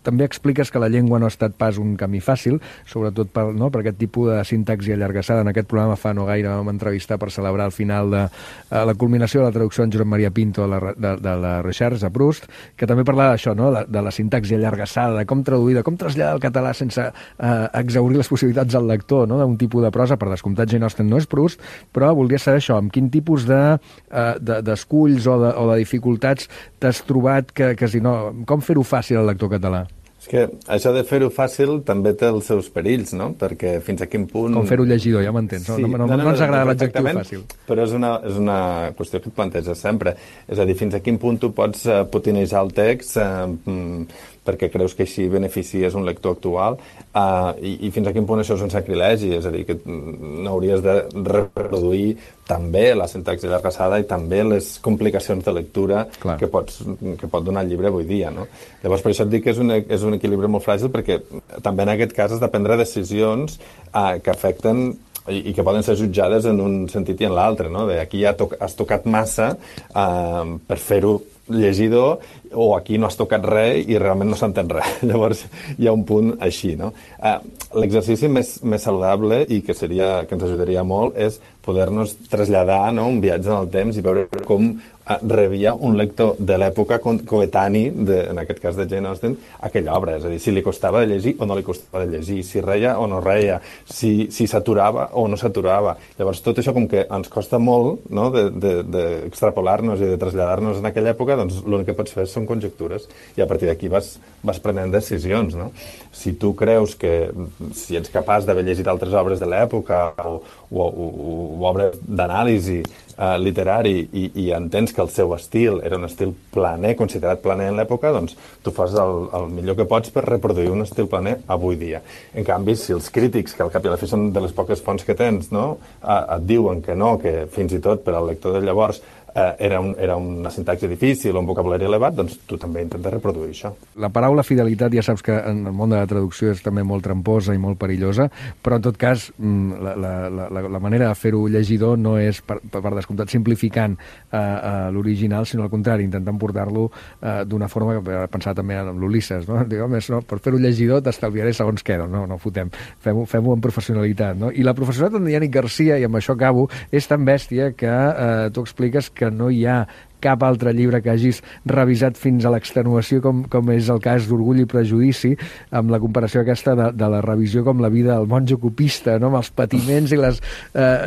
També expliques que la llengua no ha estat pas un camí fàcil, sobretot per aquest tipus de sintaxi allargassada. En aquest programa fa no gaire vam entrevistar per celebrar el final de la culminació de la traducció en Josep Maria Pinto de la Recherche a Proust, que també parlava d'això, no? De la sintaxi allargassada, de com traduir, de com traslladar el català sense exhaurir les possibilitats al lector, no? D'un tipus de prosa. Per descomptat, Jane Austen no és Proust, però voldria saber això, amb quin tipus d'esculls o de dificultats t'has trobat com fer-ho fàcil al lector català? És que això de fer-ho fàcil també té els seus perills, no? Perquè fins a quin punt... Com fer-ho llegidor, ja m'entens. Sí, no ens agrada l'adjectiu fàcil. Però és una qüestió que et planteges sempre. És a dir, fins a quin punt tu pots putinejar el text perquè creus que així beneficies un lector actual i fins a quin punt això és un sacrilegi, és a dir, que n'hauries de reproduir també la sintaxi allargassada i també les complicacions de lectura que pot donar el llibre avui dia, no? Llavors, per això et dic que és un equilibri molt fràgil, perquè també en aquest cas has de prendre decisions que afecten i que poden ser jutjades en un sentit i en l'altre, no? Aquí ja has tocat massa per fer-ho llegidor, o aquí no has tocat res i realment no s'entén res. Llavors hi ha un punt així, no? L'exercici més saludable i que ens ajudaria molt és poder-nos traslladar, no?, un viatge en el temps i veure com rebia un lector de l'època coetani, en aquest cas de Jane Austen, aquella obra. És a dir, si li costava de llegir o no li costava de llegir, si reia o no reia, si s'aturava o no s'aturava. Llavors, tot això com que ens costa molt, no?, d'extrapolar-nos i de traslladar-nos en aquella època, doncs l'únic que pots fer són conjectures i a partir d'aquí vas prenent decisions, no? Si tu creus que si ets capaç d'haver llegit altres obres de l'època o obres d'anàlisi literari i entens que el seu estil era un estil planer, considerat planer en l'època, doncs tu fas el millor que pots per reproduir un estil planer avui dia. En canvi, si els crítics, que al cap i a la fi són de les poques fonts que tens, no?, et diuen que no, que fins i tot per al lector de llavors era una sintaxi difícil o un vocabulari elevat, doncs tu també intentes reproduir això. La paraula fidelitat ja saps que en el món de la traducció és també molt tramposa i molt perillosa, però en tot cas la manera de fer-ho llegidor no és, per descomptat, simplificant l'original, sinó al contrari, intentant portar-lo d'una forma que pensava també en l'Ulisses, no? Diguem, per fer-ho llegidor t'estalviaré segons què, no fotem, fem-ho amb professionalitat, no? I la professionalitat d'en Yannick Garcia, i amb això acabo, és tan bèstia que tu expliques que no hi ha cap altre llibre que hagis revisat fins a l'extenuació com és el cas d'Orgull i Prejudici, amb la comparació aquesta de la revisió com la vida del monjo copista, no?, amb els patiments i les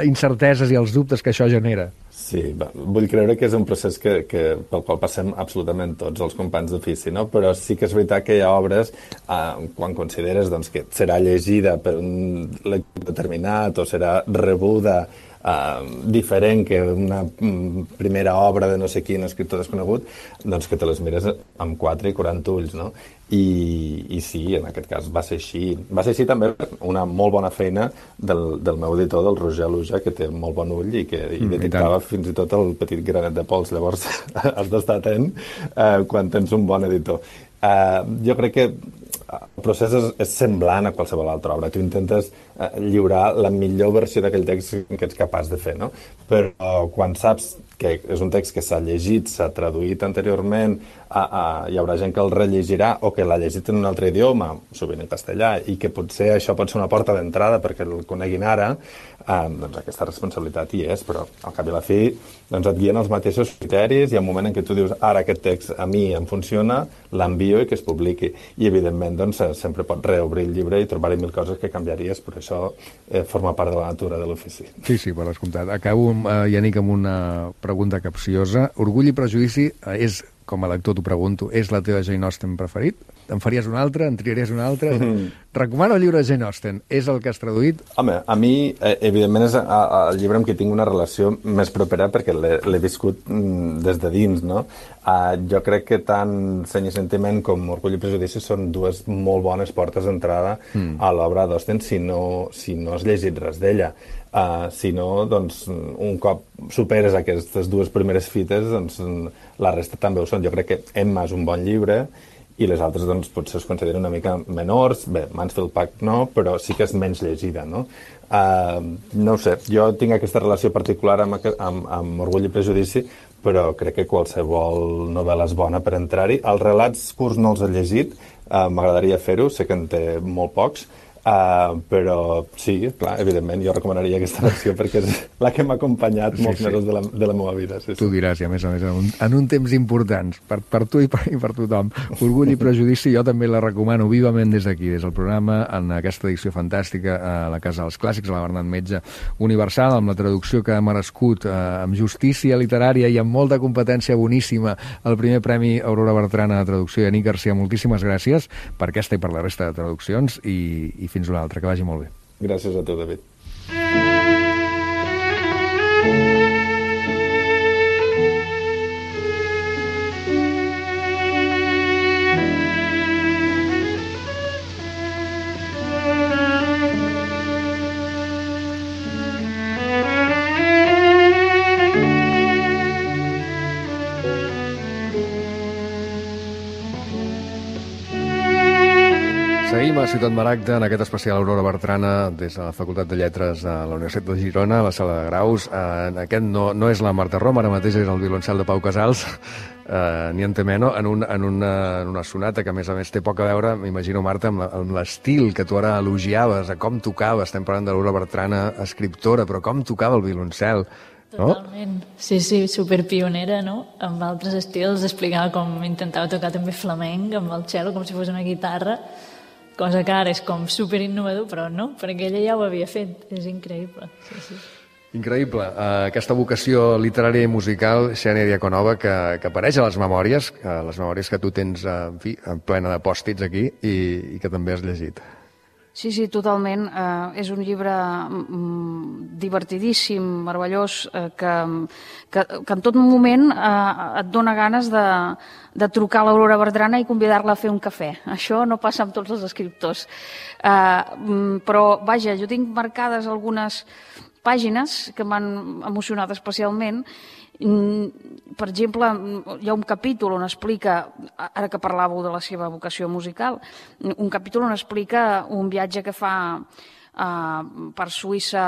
incerteses i els dubtes que això genera. Sí, vull creure que és un procés pel qual passem absolutament tots els companys d'ofici, no? Però sí que és veritat que hi ha obres, quan consideres doncs, que serà llegida per un lector determinat o serà rebuda diferent que una primera obra de no sé quin escriptor desconegut, doncs que te les mires amb 4 i 40 ulls, no? I sí, en aquest cas va ser així. Va ser així també una molt bona feina del meu editor, del Roger Luja, que té molt bon ull i que detectava fins i tot el petit granet de pols. Llavors has d'estar atent quan tens un bon editor. Jo crec que el procés és semblant a qualsevol altra obra. Tu intentes lliurar la millor versió d'aquell text que ets capaç de fer, no? Però quan saps que és un text que s'ha llegit, s'ha traduït anteriorment, hi haurà gent que el rellegirà o que l'ha llegit en un altre idioma, sovint en castellà, i que potser això pot ser una porta d'entrada perquè el coneguin ara, doncs aquesta responsabilitat hi és, però al cap i a la fi doncs et guien els mateixos criteris. Hi ha un moment en què tu dius, ara aquest text a mi em funciona, l'envio i que es publiqui. I evidentment doncs, sempre pots reobrir el llibre i trobar-hi 1000 coses que canviaries, però això forma part de la natura de l'ofici. Sí, per descomptat. Acabo, Yannick, amb una pregunta capciosa. Orgull i Prejudici és, com a lector t'ho pregunto, és la teva Jane Austen preferit? En faries una altra? En triaries una altra? Recomano el llibre de Jane Austen. És el que has traduït? Home, a mi, evidentment, és el llibre amb qui tinc una relació més propera perquè l'he viscut des de dins, no? Jo crec que tant Seny i Sentiment com Orgull i Prejudici són dues molt bones portes d'entrada a l'obra d'Austen si no has llegit res d'ella. Si no, doncs, un cop superes aquestes dues primeres fites, doncs la resta també ho són. Jo crec que Emma és un bon llibre i les altres doncs, potser es consideren una mica menors. Bé, Mansfield Park no, però sí que és menys llegida, no? No ho sé, jo tinc aquesta relació particular amb Orgull i Prejudici, però crec que qualsevol novel·la és bona per entrar-hi. Els relats curts no els he llegit, m'agradaria fer-ho, sé que en té molt pocs, Però sí, clar, evidentment jo recomanaria aquesta versió perquè és la que m'ha acompanyat molts mesos de la meva vida. Sí, tu diràs, i a més en un temps importants per tu i per tothom. Orgull i prejudici jo també la recomano vivament des d'aquí, des del programa, en aquesta edició fantàstica a la Casa dels Clàssics, a la Bernat Metge Universal, amb la traducció que ha merescut, amb justícia literària i amb molta competència boníssima, el primer Premi Aurora Bertrana de Traducció. I Anic Garcia, moltíssimes gràcies per aquesta i per la resta de traduccions i fins una altra, que vagi molt bé. Gràcies a tu, David. Seguim a Ciutat Maragda en aquest especial Aurora Bertrana des de la Facultat de Lletres de la Universitat de Girona, a la sala de graus. Aquest no és la Marta Rom, ara mateix és el violoncel de Pau Casals, ni en Temeno, en una sonata que a més té poc a veure, m'imagino, Marta, amb l'estil que tu ara elogiaves, a com tocava. Estem parlant de l'Aurora Bertrana, escriptora, però com tocava el violoncel. No? Totalment. Sí, superpionera, no? Amb altres estils, explicava com intentava tocar també flamenc amb el cello, com si fos una guitarra, cosa que ara és com superinnovador, però no, perquè ella ja ho havia fet. És increïble. Sí. Increïble. Aquesta vocació literària i musical, Xènia Diaconova, que apareix a les memòries que tu tens, en fi, plena de pòstits aquí i que també has llegit. Sí, totalment. És un llibre divertidíssim, meravellós, que en tot moment et dona ganes de trucar a l'Aurora Bertrana i convidar-la a fer un cafè. Això no passa amb tots els escriptors. Però, vaja, jo tinc marcades algunes pàgines que m'han emocionat especialment. Per exemple, hi ha un capítol on explica, ara que parlàveu de la seva vocació musical, un capítol on explica un viatge que fa per Suïssa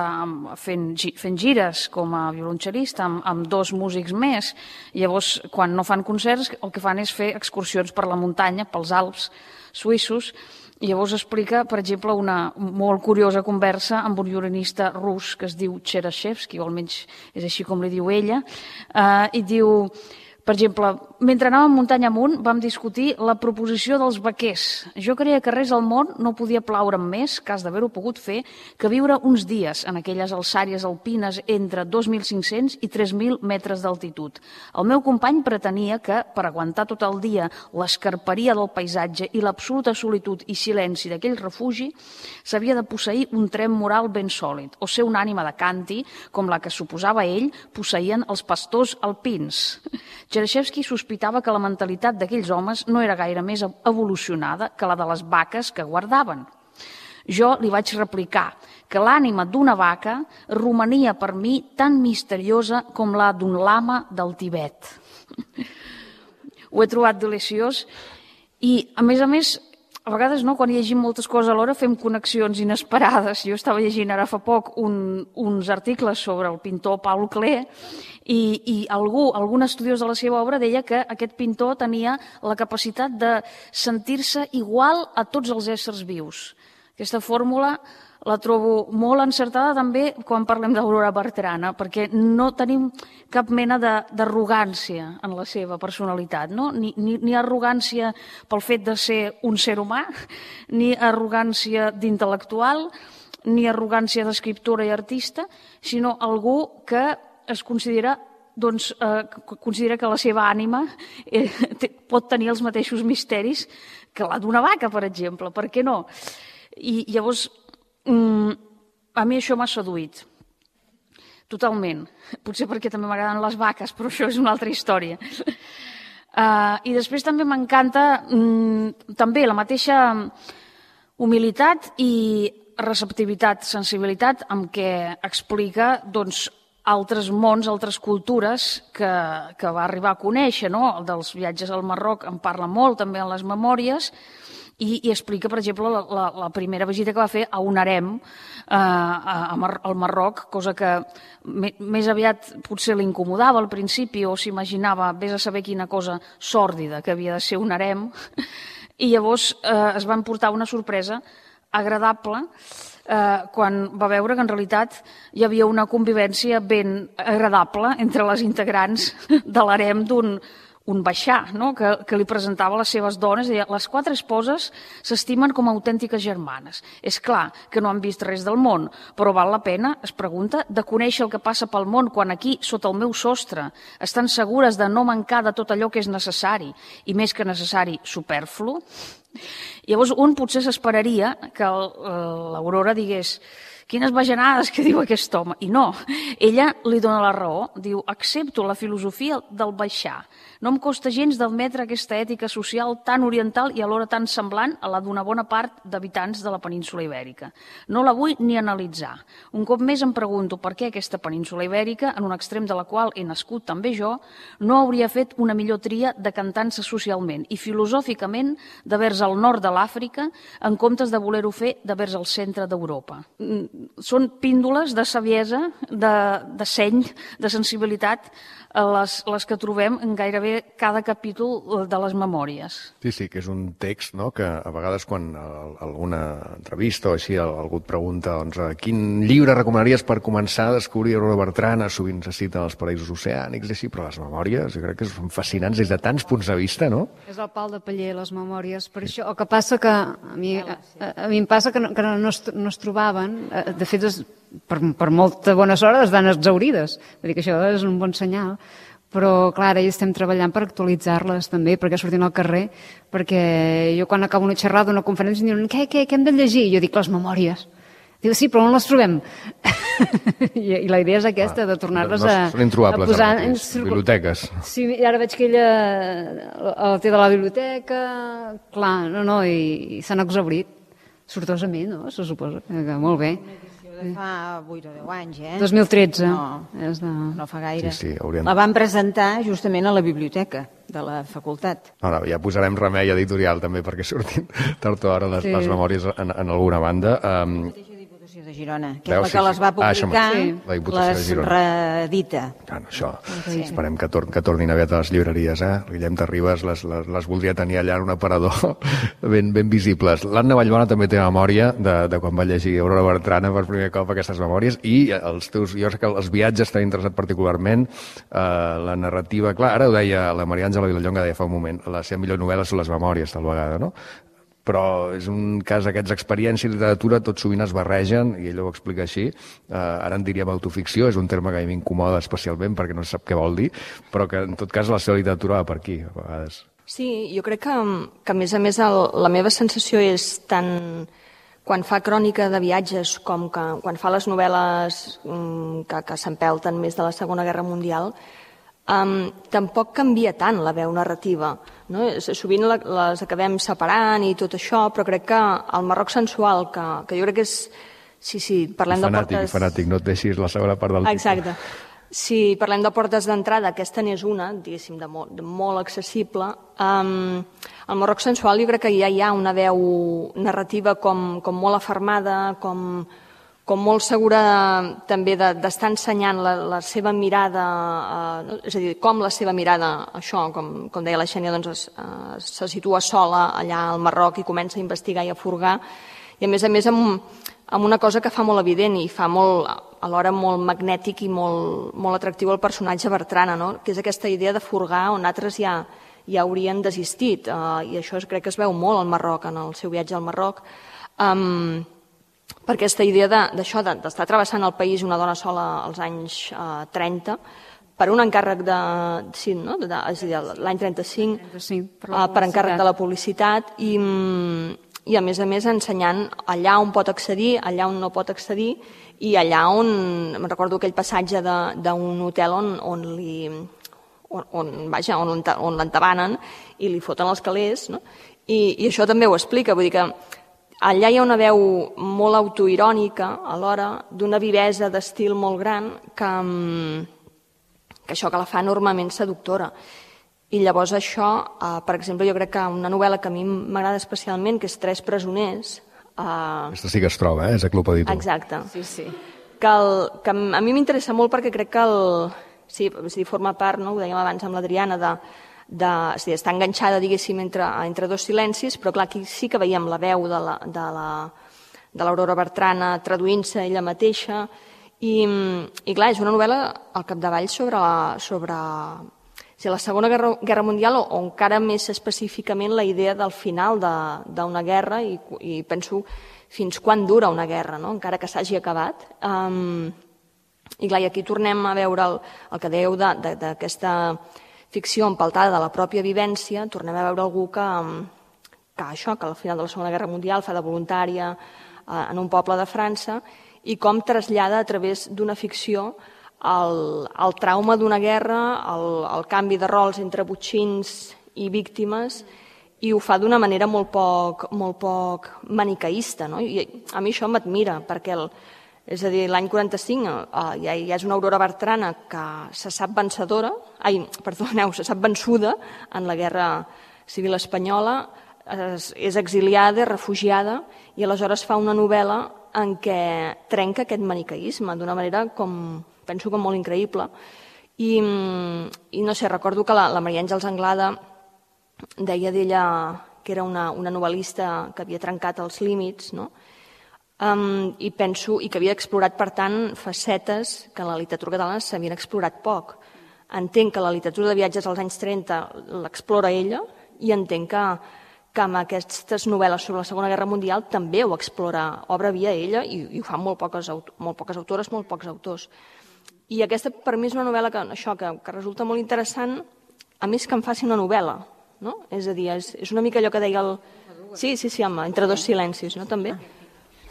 fent gires com a violoncel·lista amb dos músics més. Llavors, quan no fan concerts, el que fan és fer excursions per la muntanya, pels Alps suïssos. I llavors explica, per exemple, una molt curiosa conversa amb un violinista rus que es diu Cherashevsky, o almenys és així com li diu ella, i diu, per exemple, mentre anàvem muntanya amunt vam discutir la proposició dels vaquers. Jo creia que res al món no podia plaure'm més, cas d'haver-ho pogut fer, que viure uns dies en aquelles alçàries alpines entre 2.500 i 3.000 metres d'altitud. El meu company pretenia que, per aguantar tot el dia l'escarperia del paisatge i l'absoluta solitud i silenci d'aquell refugi, s'havia de posseir un trem moral ben sòlid, o ser una ànima de canti, com la que suposava ell posseïen els pastors alpins. Cherashevsky sospitava que la mentalitat d'aquells homes no era gaire més evolucionada que la de les vaques que guardaven. Jo li vaig replicar que l'ànima d'una vaca romania per mi tan misteriosa com la d'un lama del Tibet. Ho he trobat deliciós i, a més, a vegades, no, quan llegim moltes coses alhora fem connexions inesperades. Jo estava llegint ara fa poc uns articles sobre el pintor Paul Klee i algun estudiós de la seva obra deia que aquest pintor tenia la capacitat de sentir-se igual a tots els éssers vius. Aquesta fórmula la trobo molt encertada també quan parlem d'Aurora Bertrana, perquè no tenim cap mena d'arrogància en la seva personalitat, no? Ni arrogància pel fet de ser un ser humà, ni arrogància d'intel·lectual, ni arrogància d'escriptora i artista, sinó algú que es considera que la seva ànima pot tenir els mateixos misteris que la d'una vaca, per exemple. Per què no? I llavors, a mi això m'ha seduït totalment, potser perquè també m'agraden les vaques, però això és una altra història. I després també m'encanta també la mateixa humilitat i receptivitat, sensibilitat amb què explica altres mons, altres cultures que va arribar a conèixer, no? El dels viatges al Marroc en parla molt també en les memòries, i explica, per exemple, la primera visita que va fer a un harem al Marroc, cosa que més aviat potser l'incomodava al principi o s'imaginava, vés a saber quina cosa sòrdida que havia de ser un harem, i llavors es van portar una sorpresa agradable quan va veure que en realitat hi havia una convivència ben agradable entre les integrants de l'harem d'un baixà, no? que li presentava les seves dones. Deia, les 4 esposes s'estimen com a autèntiques germanes. És clar que no han vist res del món, però val la pena, es pregunta, de conèixer el que passa pel món quan aquí, sota el meu sostre, estan segures de no mancar de tot allò que és necessari, i més que necessari, superflu. Llavors un potser s'esperaria que l'Aurora digués quines bajanades que diu aquest home. I no, ella li dona la raó. Diu, accepto la filosofia del baixar. No em costa gens d'admetre aquesta ètica social tan oriental i alhora tan semblant a la d'una bona part d'habitants de la península Ibèrica. No la vull ni analitzar. Un cop més em pregunto per què aquesta península Ibèrica, en un extrem de la qual he nascut també jo, no hauria fet una millor tria decantant-se socialment i filosòficament de vers al nord de l'Àfrica en comptes de voler-ho fer de vers al centre d'Europa. Són píndoles de saviesa, de seny, de sensibilitat, les que trobem en gairebé cada capítol de les memòries. Sí, que és un text, no?, que a vegades quan alguna entrevista o així algú et pregunta quin llibre recomanaries per començar a descobrir Aurora Bertrana, sovint se citen els paraïsos oceànics, així, però les memòries jo crec que són fascinants des de tants punts de vista, no? És el pal de paller, les memòries. Per això, el que passa que a mi em passa que no es trobaven, de fet, per molta bona sort es van exaurides. Vull dir que això és un bon senyal. Però, clar, ara hi estem treballant per actualitzar-les també, perquè surtin al carrer, perquè jo quan acabo una xerrada, una conferència, em diuen, què hem de llegir? Jo dic, les memòries. Diu, sí, però on les trobem? I la idea és aquesta, de tornar-les a són introbables, posar en biblioteques. Sí, ara veig que ella el té de la biblioteca, clar, i s'han exaurit, sortosament, no? Se suposa que molt bé. Fa 8 o 10 anys, 2013. No fa gaire. Sí, la van presentar justament a la biblioteca de la facultat. Ja posarem remei editorial també perquè surtin tard o d'hora les memòries en alguna banda. Diputació de Girona, que és la que les va publicar, les reedita. Això, esperem que tornin aviat a les llibreries. Guillem Terribas les voldria tenir allà en un aparador ben visibles. L'Anna Vallbona també té memòria de quan va llegir Aurora Bertrana per primer cop aquestes memòries, i jo sé que els viatges t'han interessat particularment, la narrativa, clar, ara ho deia la Maria Àngela Vilallonga, deia fa un moment, la seva millor novel·la són les memòries, tal vegada, no? Però és un cas d'aquests, experiència i literatura tot sovint es barregen, i ell ho explica així. Ara en diríem autoficció, és un terme que a mi m'incomoda especialment perquè no sap què vol dir, però que en tot cas la seva literatura va per aquí, a vegades. Sí, jo crec que a més a més la meva sensació és tant quan fa crònica de viatges com que quan fa les novel·les que s'empelten més de la Segona Guerra Mundial, tampoc canvia tant la veu narrativa, no? Sovint les acabem separant i tot això, però crec que el Marroc sensual, que jo crec que és... Sí, parlem de portes... Fanàtic, no et deixis la segona part del títol. Exacte. Si parlem de portes d'entrada, aquesta n'és una, diguéssim, de molt accessible. Al Marroc sensual jo crec que ja hi ha una veu narrativa com molt afermada, com molt segura també d'estar ensenyant la seva mirada, és a dir, com la seva mirada, això, com deia la Xènia, doncs se situa sola allà al Marroc i comença a investigar i a furgar, i a més amb una cosa que fa molt evident i fa alhora molt magnètic i molt atractiu al personatge Bertrana, no? Que és aquesta idea de furgar on altres ja haurien desistit, i això crec que es veu molt al Marroc, en el seu viatge al Marroc, per aquesta idea d'això, d'estar travessant el país una dona sola als anys 30, per un encàrrec l'any 35, per encàrrec de la publicitat, i a més ensenyant allà on pot accedir, allà on no pot accedir, i allà on, me'n recordo aquell passatge d'un hotel on l'entabanen i li foten els calés, no? I això també ho explica, vull dir que allà hi ha una veu molt autoirònica, alhora, d'una vivesa d'estil molt gran, que això que la fa enormement seductora. I llavors això, per exemple, jo crec que una novel·la que a mi m'agrada especialment, que és Tres presoners... Aquesta sí que es troba, és a Club Editor. Exacte. Sí. Que a mi m'interessa molt perquè crec que sí, forma part, no? Ho dèiem abans amb l'Adriana, està enganxada, diguéssim, entre dos silencis, però clar, aquí sí que veiem la veu de l'Aurora Bertrana traduint-se ella mateixa. I clar, és una novel·la al capdavall sobre la Segona Guerra Mundial o encara més específicament la idea del final d'una guerra i penso fins quan dura una guerra, no? Encara que s'hagi acabat. I clar, aquí tornem a veure el que dèieu d'aquesta ficció empaltada de la pròpia vivència, tornem a veure algú que al final de la Segona Guerra Mundial fa de voluntària en un poble de França i com trasllada a través d'una ficció el trauma d'una guerra, el canvi de rols entre botxins i víctimes, i ho fa d'una manera molt poc maniqueista, no? I a mi això m'admira, perquè és a dir, l'any 45 ja és una Aurora Bertrana que se sap vençuda en la Guerra Civil Espanyola, és exiliada, refugiada, i aleshores fa una novel·la en què trenca aquest maniqueisme d'una manera penso com molt increïble. I no sé, recordo que la Maria Àngels Anglada deia d'ella que era una novel·lista que havia trencat els límits, no? I penso que havia explorat, per tant, facetes que en la literatura catalana s'havien explorat poc. Entenc que la literatura de viatges als anys 30 l'explora ella i entenc que amb aquestes novel·les sobre la Segona Guerra Mundial també ho explora, obre via ella i ho fan molt poques autores, molt pocs autors. I aquesta per mi és una novel·la que resulta molt interessant, a més que em faci una novel·la, no? És a dir, és una mica allò que deia el... Sí, home, entre dos silencis, no? També.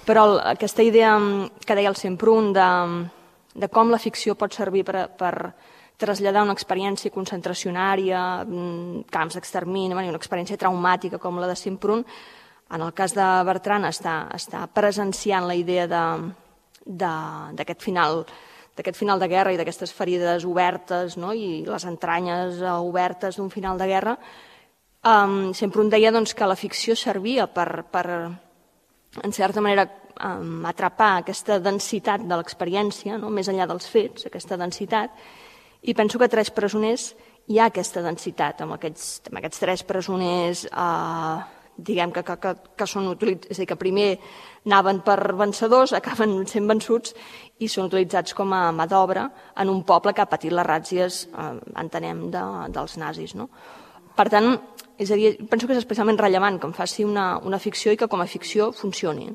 Però aquesta idea que deia el Semprún de com la ficció pot servir per traslladar una experiència concentracionària, camps d'extermini, una experiència traumàtica com la de Semprún, en el cas de Bertrana està presenciant la idea d'aquest final de guerra i d'aquestes ferides obertes, no? I les entranyes obertes d'un final de guerra. Semprún deia que la ficció servia per en certa manera, atrapar aquesta densitat de l'experiència, no? Més enllà dels fets, aquesta densitat, i penso que a Tres presoners hi ha aquesta densitat, amb aquests tres presoners, diguem que són utilitzats, és a dir, que primer anaven per vencedors, acaben sent vençuts i són utilitzats com a mà d'obra en un poble que ha patit les ràtzies, entenem, dels nazis, no? Per tant, és a dir, penso que és especialment rellevant que em faci una ficció i que com a ficció funcioni.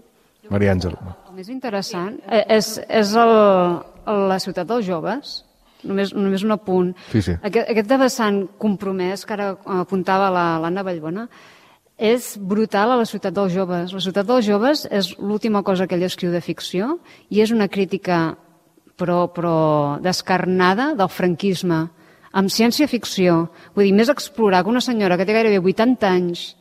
Maria Àngel. El més interessant és la ciutat dels joves, només un apunt. Sí. Aquest vessant compromès que ara apuntava l'Anna Vallbona és brutal a la ciutat dels joves. La ciutat dels joves és l'última cosa que ell escriu de ficció i és una crítica però descarnada del franquisme, amb ciència-ficció. Vull dir, més explorar que una senyora que té gairebé 80 anys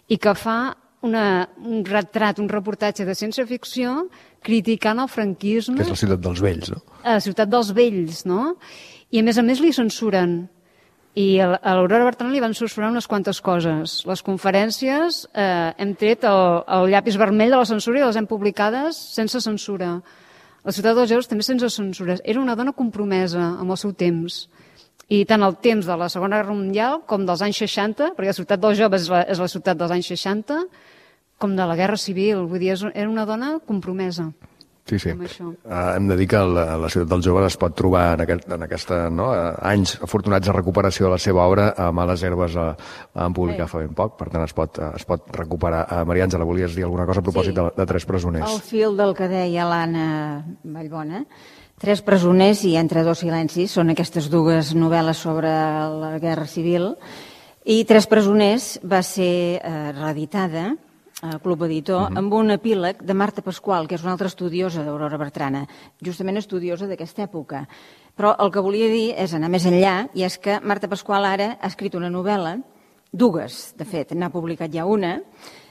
i que fa un retrat, un reportatge de ciència-ficció criticant el franquisme. Que és la ciutat dels vells, no? La ciutat dels vells, no? I a més li censuren. I a l'Aurora Bertrana li van censurar unes quantes coses. Les conferències hem tret el llapis vermell de la censura i les hem publicades sense censura. La ciutat dels joves també sense censures. Era una dona compromesa amb el seu temps. I tant el temps de la Segona Guerra Mundial com dels anys 60, perquè la ciutat dels joves és la ciutat dels anys 60, com de la Guerra Civil. Vull dir, era una dona compromesa. Sí. Hem de dir que la ciutat dels joves es pot trobar en aquests anys afortunats de recuperació de la seva obra a Males Herbes en publicar fa ben poc, per tant es pot recuperar. Maria Àngela, volies dir alguna cosa a propòsit de Tres presoners? Al fil del que deia l'Anna Vallbona, Tres presoners i Entre dos silencis són aquestes dues novel·les sobre la Guerra Civil, i Tres presoners va ser reeditada al Club Editor amb un epíleg de Marta Pasqual, que és una altra estudiosa d'Aurora Bertrana, justament estudiosa d'aquesta època. Però el que volia dir és anar més enllà, i és que Marta Pasqual ara ha escrit una novel·la, dues, de fet, n'ha publicat ja una,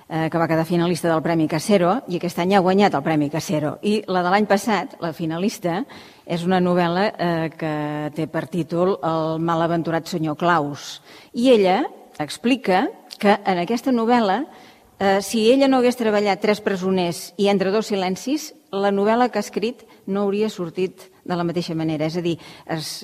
que va quedar finalista del Premi Casero, i aquest any ha guanyat el Premi Casero. I la de l'any passat, la finalista, és una novel·la que té per títol El malaventurat senyor Claus. I ella explica que en aquesta novel·la, si ella no hagués treballat Tres presoners i Entre dos silencis, la novel·la que ha escrit no hauria sortit de la mateixa manera. És a dir, es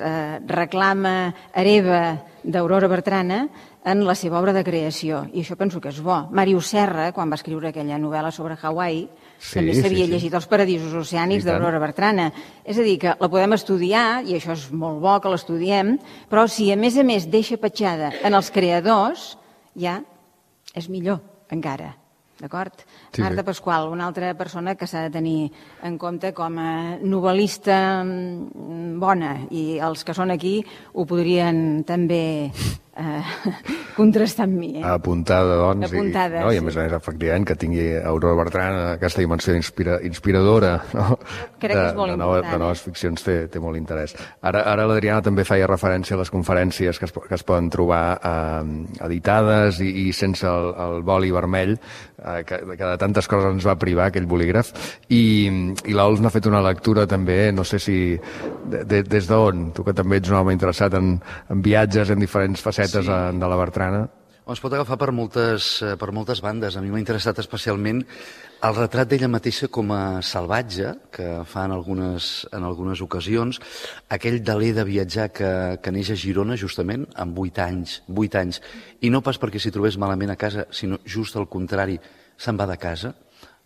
reclama hereva d'Aurora Bertrana en la seva obra de creació, i això penso que és bo. Màrius Serra, quan va escriure aquella novel·la sobre Hawaii, també s'havia llegit Els paradisos oceànics d'Aurora Bertrana. És a dir, que la podem estudiar, i això és molt bo que l'estudiem, però si a més deixa petjada en els creadors, ja és millor encara. D'acord? Marta Pasqual, una altra persona que s'ha de tenir en compte com a novel·lista bona, i els que són aquí ho podrien també contrastar amb mi. Apuntada, doncs. Apuntada, I a més, efectivament, que tingui Aurora Bertrana aquesta dimensió inspiradora crec que és molt important. De noves ficcions té molt interès. Ara l'Adriana també feia referència a les conferències que es poden trobar editades i sense el boli vermell, que de tantes coses ens va privar aquell bolígraf, i l'Ols n'ha fet una lectura també, no sé si des d'on, tu que també ets un home interessat en viatges en diferents facetes de la Bertrana. Es pot agafar per moltes bandes. A mi m'ha interessat especialment el retrat d'ella mateixa com a salvatge, que fa en algunes ocasions, aquell deler de viatjar que neix a Girona, justament, amb 8 anys, i no pas perquè s'hi trobés malament a casa, sinó just al contrari, se'n va de casa,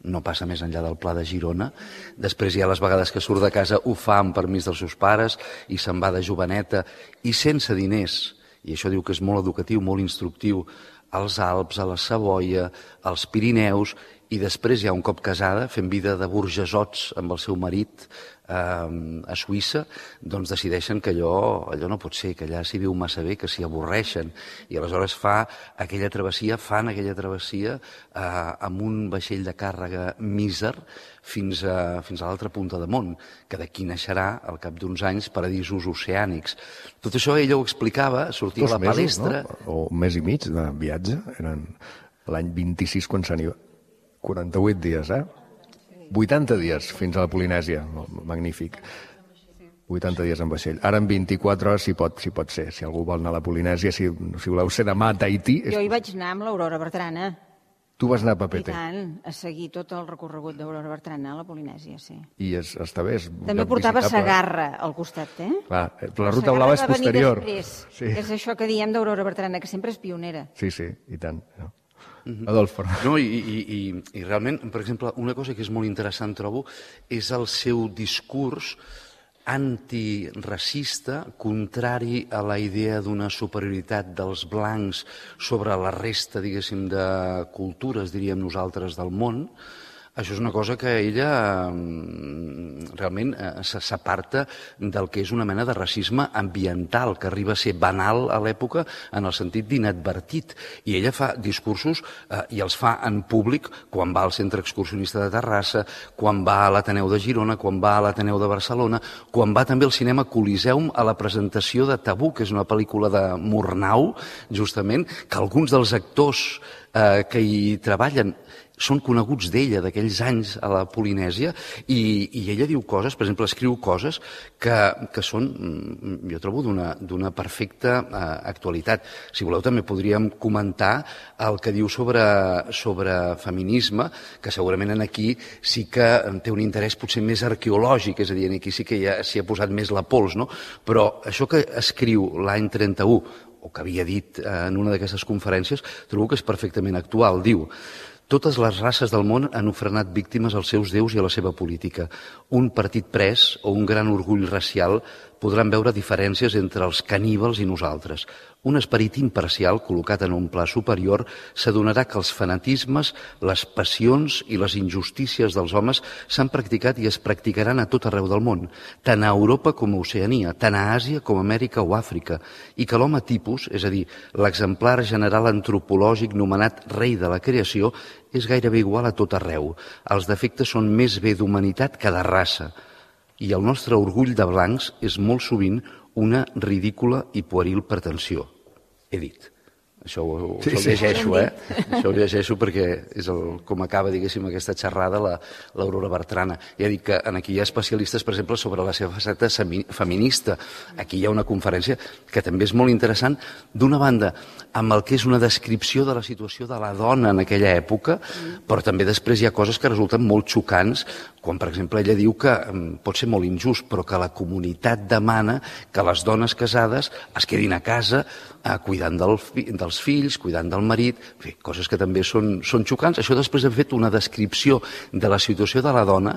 no passa més enllà del Pla de Girona. Després hi ha les vegades que surt de casa, ho fa amb permís dels seus pares, i se'n va de joveneta, i sense diners, i això diu que és molt educatiu, molt instructiu, als Alps, a la Savoia, als Pirineus, i després, ja un cop casada, fent vida de burgesots amb el seu marit a Suïssa, doncs decideixen que allò no pot ser, que allà s'hi viu massa bé, que s'hi avorreixen, i aleshores fan aquella travessia amb un vaixell de càrrega míser fins a l'altra punta de món, que d'aquí naixerà, al cap d'uns anys, Paradisos oceànics. Tot això ella ho explicava, sortia a la palestra... 2 mesos, no? O un mes i mig de viatge, eren l'any 26 quan se n'hi va. 48 dies, 80 dies fins a la Polinèsia, magnífic. 80 dies en vaixell. Ara en 24 hores si pot ser. Si algú vol anar a la Polinèsia, si voleu ser demà a Tahití... Jo hi vaig anar amb l'Aurora Bertrana. Tu vas anar a Papete. I tant, a seguir tot el recorregut d'Aurora Bertrana a la Polinèsia, sí. I està bé, és també portava Sagarra al costat, Clar, la ruta blava és posterior. Sí. És això que diem d'Aurora Bertrana, que sempre és pionera. Sí, i tant. Adolf. No, i realment, per exemple, una cosa que és molt interessant, trobo, és el seu discurs antiracista, contrari a la idea d'una superioritat dels blancs sobre la resta, diguéssim, de cultures, diríem nosaltres, del món. Això és una cosa que ella realment s'aparta del que és una mena de racisme ambiental, que arriba a ser banal a l'època en el sentit d'inadvertit. I ella fa discursos, i els fa en públic, quan va al Centre Excursionista de Terrassa, quan va a l'Ateneu de Girona, quan va a l'Ateneu de Barcelona, quan va també al cinema Coliseum a la presentació de Tabú, que és una pel·lícula de Murnau, justament, que alguns dels actors que hi treballen són coneguts d'ella, d'aquells anys a la Polinèsia, i ella diu coses, per exemple, escriu coses que són, jo trobo, d'una perfecta actualitat. Si voleu, també podríem comentar el que diu sobre feminisme, que segurament aquí sí que té un interès potser més arqueològic, és a dir, aquí sí que ja s'hi ha posat més la pols, no? Però això que escriu l'any 31, o que havia dit en una d'aquestes conferències, trobo que és perfectament actual. Diu: totes les races del món han ofrenat víctimes als seus déus i a la seva política. Un partit pres o un gran orgull racial podran veure diferències entre els caníbals i nosaltres. Un esperit imparcial, col·locat en un pla superior, s'adonarà que els fanatismes, les passions i les injustícies dels homes s'han practicat i es practicaran a tot arreu del món, tant a Europa com a Oceania, tant a Àsia com a Amèrica o Àfrica, i que l'home tipus, és a dir, l'exemplar general antropològic nomenat rei de la creació, és gairebé igual a tot arreu. Els defectes són més bé d'humanitat que de raça. I el nostre orgull de blancs és molt sovint una ridícula i pueril pretensió. He dit. Això ho llegeixo, Això ho llegeixo perquè és com acaba, diguéssim, aquesta xerrada l'Aurora Bertrana. Ja dic que aquí hi ha especialistes, per exemple, sobre la seva faceta feminista. Aquí hi ha una conferència que també és molt interessant, d'una banda, amb el que és una descripció de la situació de la dona en aquella època, però també després hi ha coses que resulten molt xocants, quan, per exemple, ella diu que pot ser molt injust, però que la comunitat demana que les dones casades es quedin a casa cuidant dels dels fills, cuidant del marit, en fi, coses que també són xocants. Això després hem fet una descripció de la situació de la dona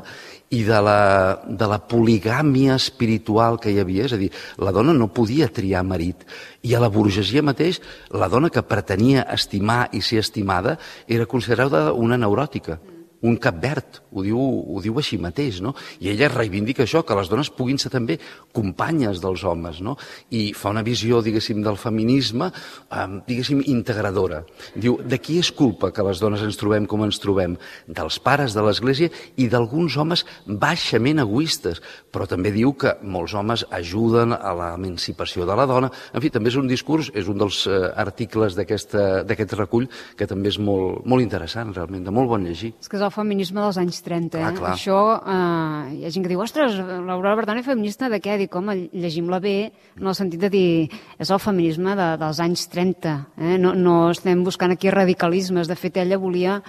i de la poligàmia espiritual que hi havia, és a dir, la dona no podia triar marit, i a la burgesia mateix, la dona que pretenia estimar i ser estimada era considerada una neuròtica, un cap verd, ho diu així mateix, no? I ella reivindica això, que les dones puguin ser també companyes dels homes, no? I fa una visió, diguéssim, del feminisme, diguéssim, integradora. Diu, de qui és culpa que les dones ens trobem com ens trobem? Dels pares de l'Església i d'alguns homes baixament egoistes, però també diu que molts homes ajuden a l'emancipació de la dona. En fi, també és un discurs, és un dels articles d'aquest recull que també és molt interessant, realment, de molt bon llegir. És que és el feminisme dels anys 30. Clar. Això, hi ha gent que diu, ostres, l'Aurora Bertrana és feminista de què? Dic, home, llegim-la bé, en el sentit de dir, és el feminisme dels anys 30. No estem buscant aquí radicalismes. De fet, ella volia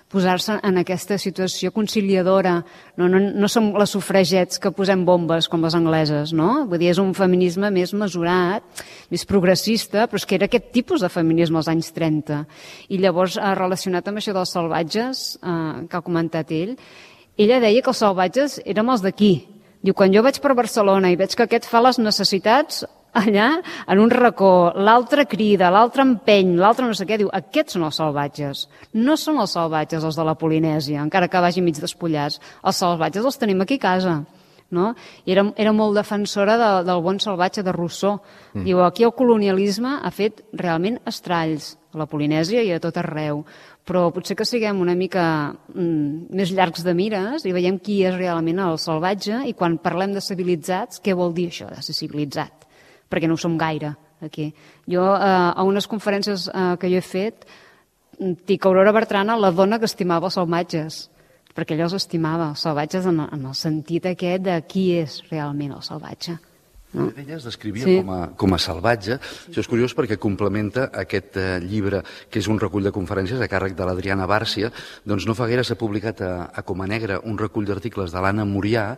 posar-se en aquesta situació conciliadora. No som les sufragets que posem bombes com les angleses, no? Vull dir, és un feminisme més mesurat, més progressista, però és que era aquest tipus de feminisme als anys 30. I llavors, relacionat amb això dels salvatges, que ha comentat ell, ella deia que els salvatges érem els d'aquí. Diu, quan jo vaig per Barcelona i veig que aquest fa les necessitats allà, en un racó, l'altre crida, l'altre empeny, l'altre no sé què, diu, aquests són els salvatges. No són els salvatges els de la Polinèsia, encara que vagin mig despullats. Els salvatges els tenim aquí a casa. No? I era molt defensora del bon salvatge de Rousseau. Diu, aquí el colonialisme ha fet realment estralls a la Polinèsia i a tot arreu, però potser que siguem una mica més llargs de mires i veiem qui és realment el salvatge, i quan parlem de civilitzats, què vol dir això de ser civilitzat? Perquè no ho som gaire aquí. Jo, a unes conferències que jo he fet, dic Aurora Bertrana, la dona que estimava els salvatges, perquè ella els estimava, els salvatges en el sentit aquest de qui és realment el salvatge. No? Ella es descrivia com a salvatge. Això és curiós perquè complementa aquest llibre, que és un recull de conferències a càrrec de l'Adriana Bàrcia. Doncs no fa gaire s'ha publicat a Coma Negra un recull d'articles de l'Anna Murià,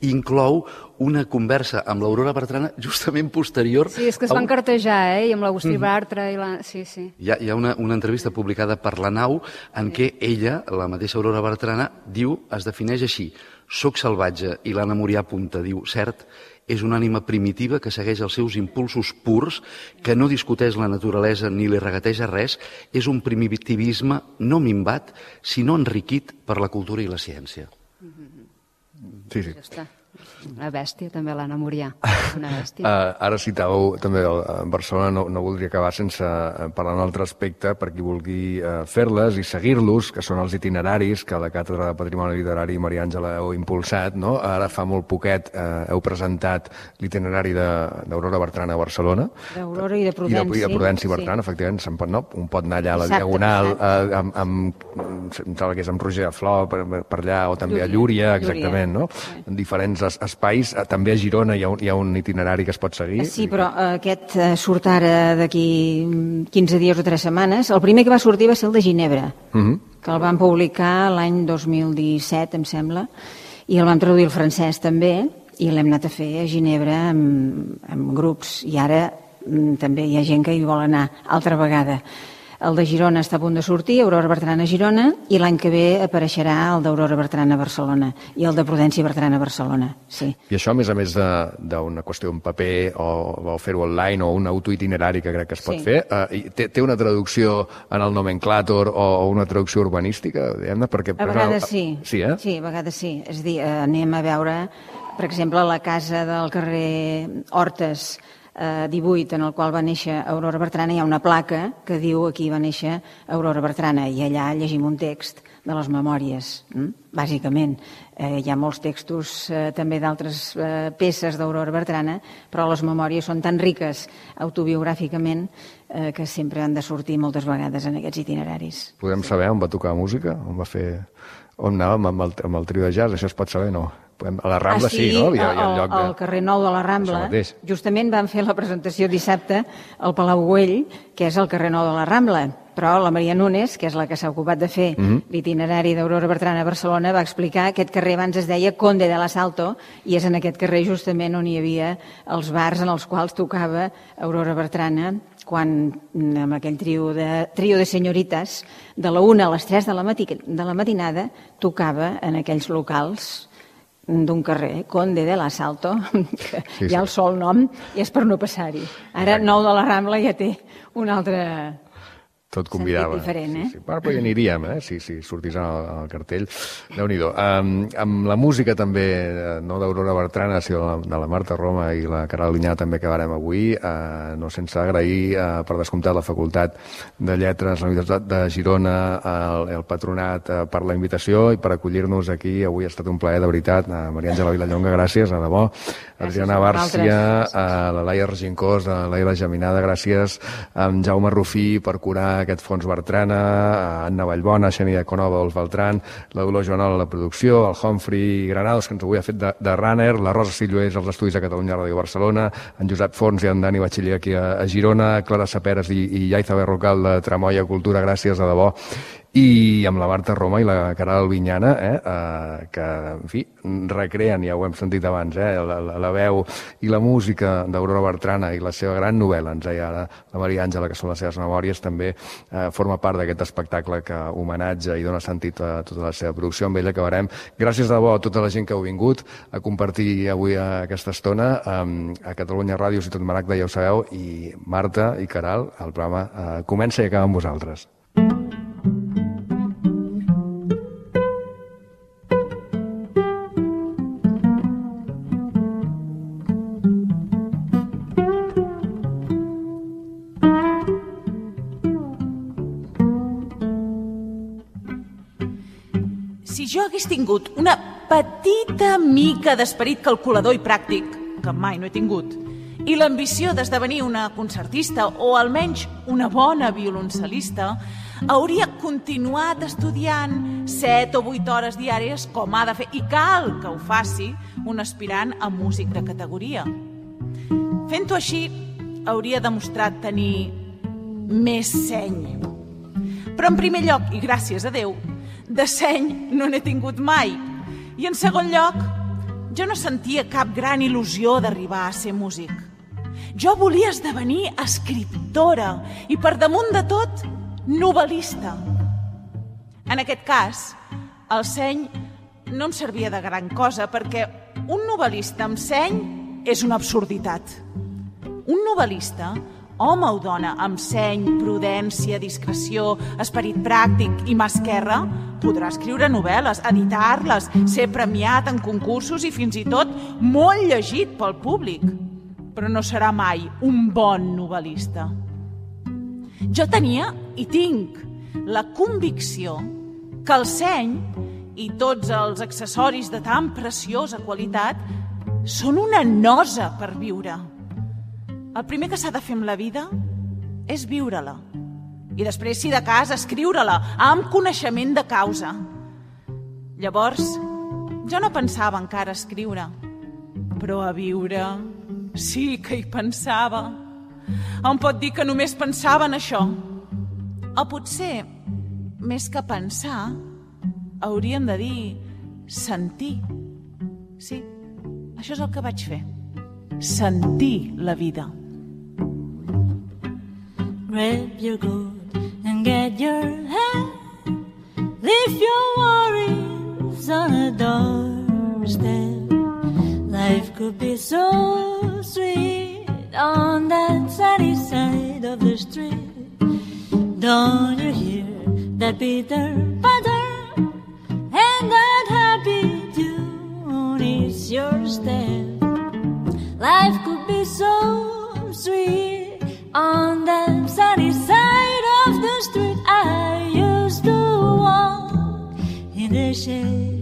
i inclou una conversa amb l'Aurora Bertrana justament posterior. Sí, és que es van cartejar, i amb l'Agustí Bartra. Sí. Hi ha una entrevista publicada per La Nau en què ella, la mateixa Aurora Bertrana, diu, es defineix així: soc salvatge, i l'Anna Murià apunta, diu, cert, és una ànima primitiva que segueix els seus impulsos purs, que no discuteix la naturalesa ni li regateja res, és un primitivisme no minvat, sinó enriquit per la cultura i la ciència. Sí. Ja està. Una bèstia, també, l'Anna Murià. Una bèstia. Ara citàveu també Barcelona, no voldria acabar sense parlar d'un altre aspecte per qui vulgui fer-les i seguir-los, que són els itineraris que la Càtedra de Patrimoni Literari Maria Àngela heu impulsat, no? Ara fa molt poquet heu presentat l'itinerari d'Aurora Bertrana a Barcelona. D'Aurora i de Prudenci. I de Prudenci Bertrana, efectivament. Un pot anar allà a la Diagonal, em sembla que és amb Roger de Flor, per allà, o també a Llúria, exactament, no? En diferents espais. També a Girona hi ha un itinerari que es pot seguir. Sí, però aquest surt ara d'aquí 15 dies o 3 setmanes. El primer que va sortir va ser el de Ginebra, que el van publicar l'any 2017, em sembla, i el vam traduir al francès també, i l'hem anat a fer a Ginebra amb grups, i ara també hi ha gent que hi vol anar altra vegada. El de Girona està a punt de sortir, Aurora Bertrana a Girona, i l'any que ve apareixerà el d'Aurora Bertrana a Barcelona i el de Prudenci Bertrana a Barcelona. Sí. I això, a més d'una qüestió en paper o fer-ho online o un autoitinerari que crec que es pot fer, té una traducció en el nomenclàtor o una traducció urbanística? A vegades sí. Sí, Sí, a vegades sí. És a dir, anem a veure, per exemple, la casa del carrer Hortes 18, en el qual va néixer Aurora Bertrana, hi ha una placa que diu aquí va néixer Aurora Bertrana, i allà llegim un text de les memòries, bàsicament. Hi ha molts textos també d'altres peces d'Aurora Bertrana, però les memòries són tan riques autobiogràficament que sempre han de sortir moltes vegades en aquests itineraris. Podem saber on va tocar música? On anàvem amb el trio de jazz? Això es pot saber, no? A la Rambla sí, no? Al carrer Nou de la Rambla. Justament van fer la presentació dissabte al Palau Güell, que és el carrer Nou de la Rambla. Però la Maria Núñez, que és la que s'ha ocupat de fer l'itinerari d'Aurora Bertrana a Barcelona, va explicar que aquest carrer abans es deia Conde de l'Asalto i és en aquest carrer justament on hi havia els bars en els quals tocava Aurora Bertrana quan amb aquell trio de senyorites de la 1 a les 3 de la matinada tocava en aquells locals d'un carrer, Conde de l'Asalto, que ja el sol nom i és per no passar-hi. Ara Nou de la Rambla ja té un altre... Tot convidava. Diferent, Però hi aniríem, si sortís al cartell. Déu-n'hi-do. Amb la música també, no d'Aurora Bertrana, sinó de la Marta Roma i la Caral Vinyana també acabarem avui, no sense agrair per descomptat la Facultat de Lletres, la Universitat de Girona, el Patronat per la invitació i per acollir-nos aquí. Avui ha estat un plaer, de veritat. Maria Àngela Vilallonga, gràcies, de debò. Adriana Bàrcia, la Laia Regincós, la Laia Geminada, gràcies. Jaume Rufí per curar aquest fons Bertrana, Anna Vallbona, Xènia Conova, Dolç Beltran, la Dolors Joanol a la producció, el Humphrey Granados, que ens avui ha fet de runner, la Rosa Sillués als estudis de Catalunya Ràdio Barcelona, en Josep Fons i en Dani Batxiller aquí a Girona, Clara Saperes i Yaiza Berrocal de Tramoia Cultura, gràcies, de debò. I amb la Marta Roma i la Caral Vinyana, que, en fi, recreen, ja ho hem sentit abans, la veu i la música d'Aurora Bertrana i la seva gran novel·la, ens deia ara la Maria Àngela, que són les seves memòries, també forma part d'aquest espectacle que homenatja i dona sentit a tota la seva producció. Amb ella acabarem. Gràcies de debò a tota la gent que heu vingut a compartir avui aquesta estona a Catalunya Ràdio, Ciutat Maragda, ja ho sabeu, i Marta i Caral, el programa comença i acaba amb vosaltres. Si jo hagués tingut una petita mica d'esperit calculador i pràctic, que mai no he tingut, i l'ambició d'esdevenir una concertista o almenys una bona violoncel·lista, hauria continuat estudiant 7 o 8 hores diàries com ha de fer, i cal que ho faci un aspirant a músic de categoria. Fent-ho així, hauria demostrat tenir més seny. Però en primer lloc, i gràcies a Déu, de seny no n'he tingut mai. I en segon lloc, jo no sentia cap gran il·lusió d'arribar a ser músic. Jo volia esdevenir escriptora i, per damunt de tot, novel·lista. En aquest cas, el seny no em servia de gran cosa perquè un novel·lista amb seny és una absurditat. Un novel·lista, home o dona, amb seny, prudència, discreció, esperit pràctic i mà esquerra, podrà escriure novel·les, editar-les, ser premiat en concursos i fins i tot molt llegit pel públic. Però no serà mai un bon novel·lista. Jo tenia i tinc la convicció que el seny i tots els accessoris de tan preciosa qualitat són una nosa per viure. El primer que s'ha de fer amb la vida és viure-la. I després, si de cas, escriure-la amb coneixement de causa. Llavors, jo no pensava encara a escriure, però a viure sí que hi pensava. Em pot dir que només pensava en això. O potser, més que pensar, hauríem de dir sentir. Sí, això és el que vaig fer. Sentir la vida. Grab your goat and get your hat. Leave your worries on a doorstep. Life could be so sweet on that sunny side of the street. Don't you hear that bitter patter? And that happy tune is your step. Life could be so sweet on that sunny side of the street. I used to walk in the shade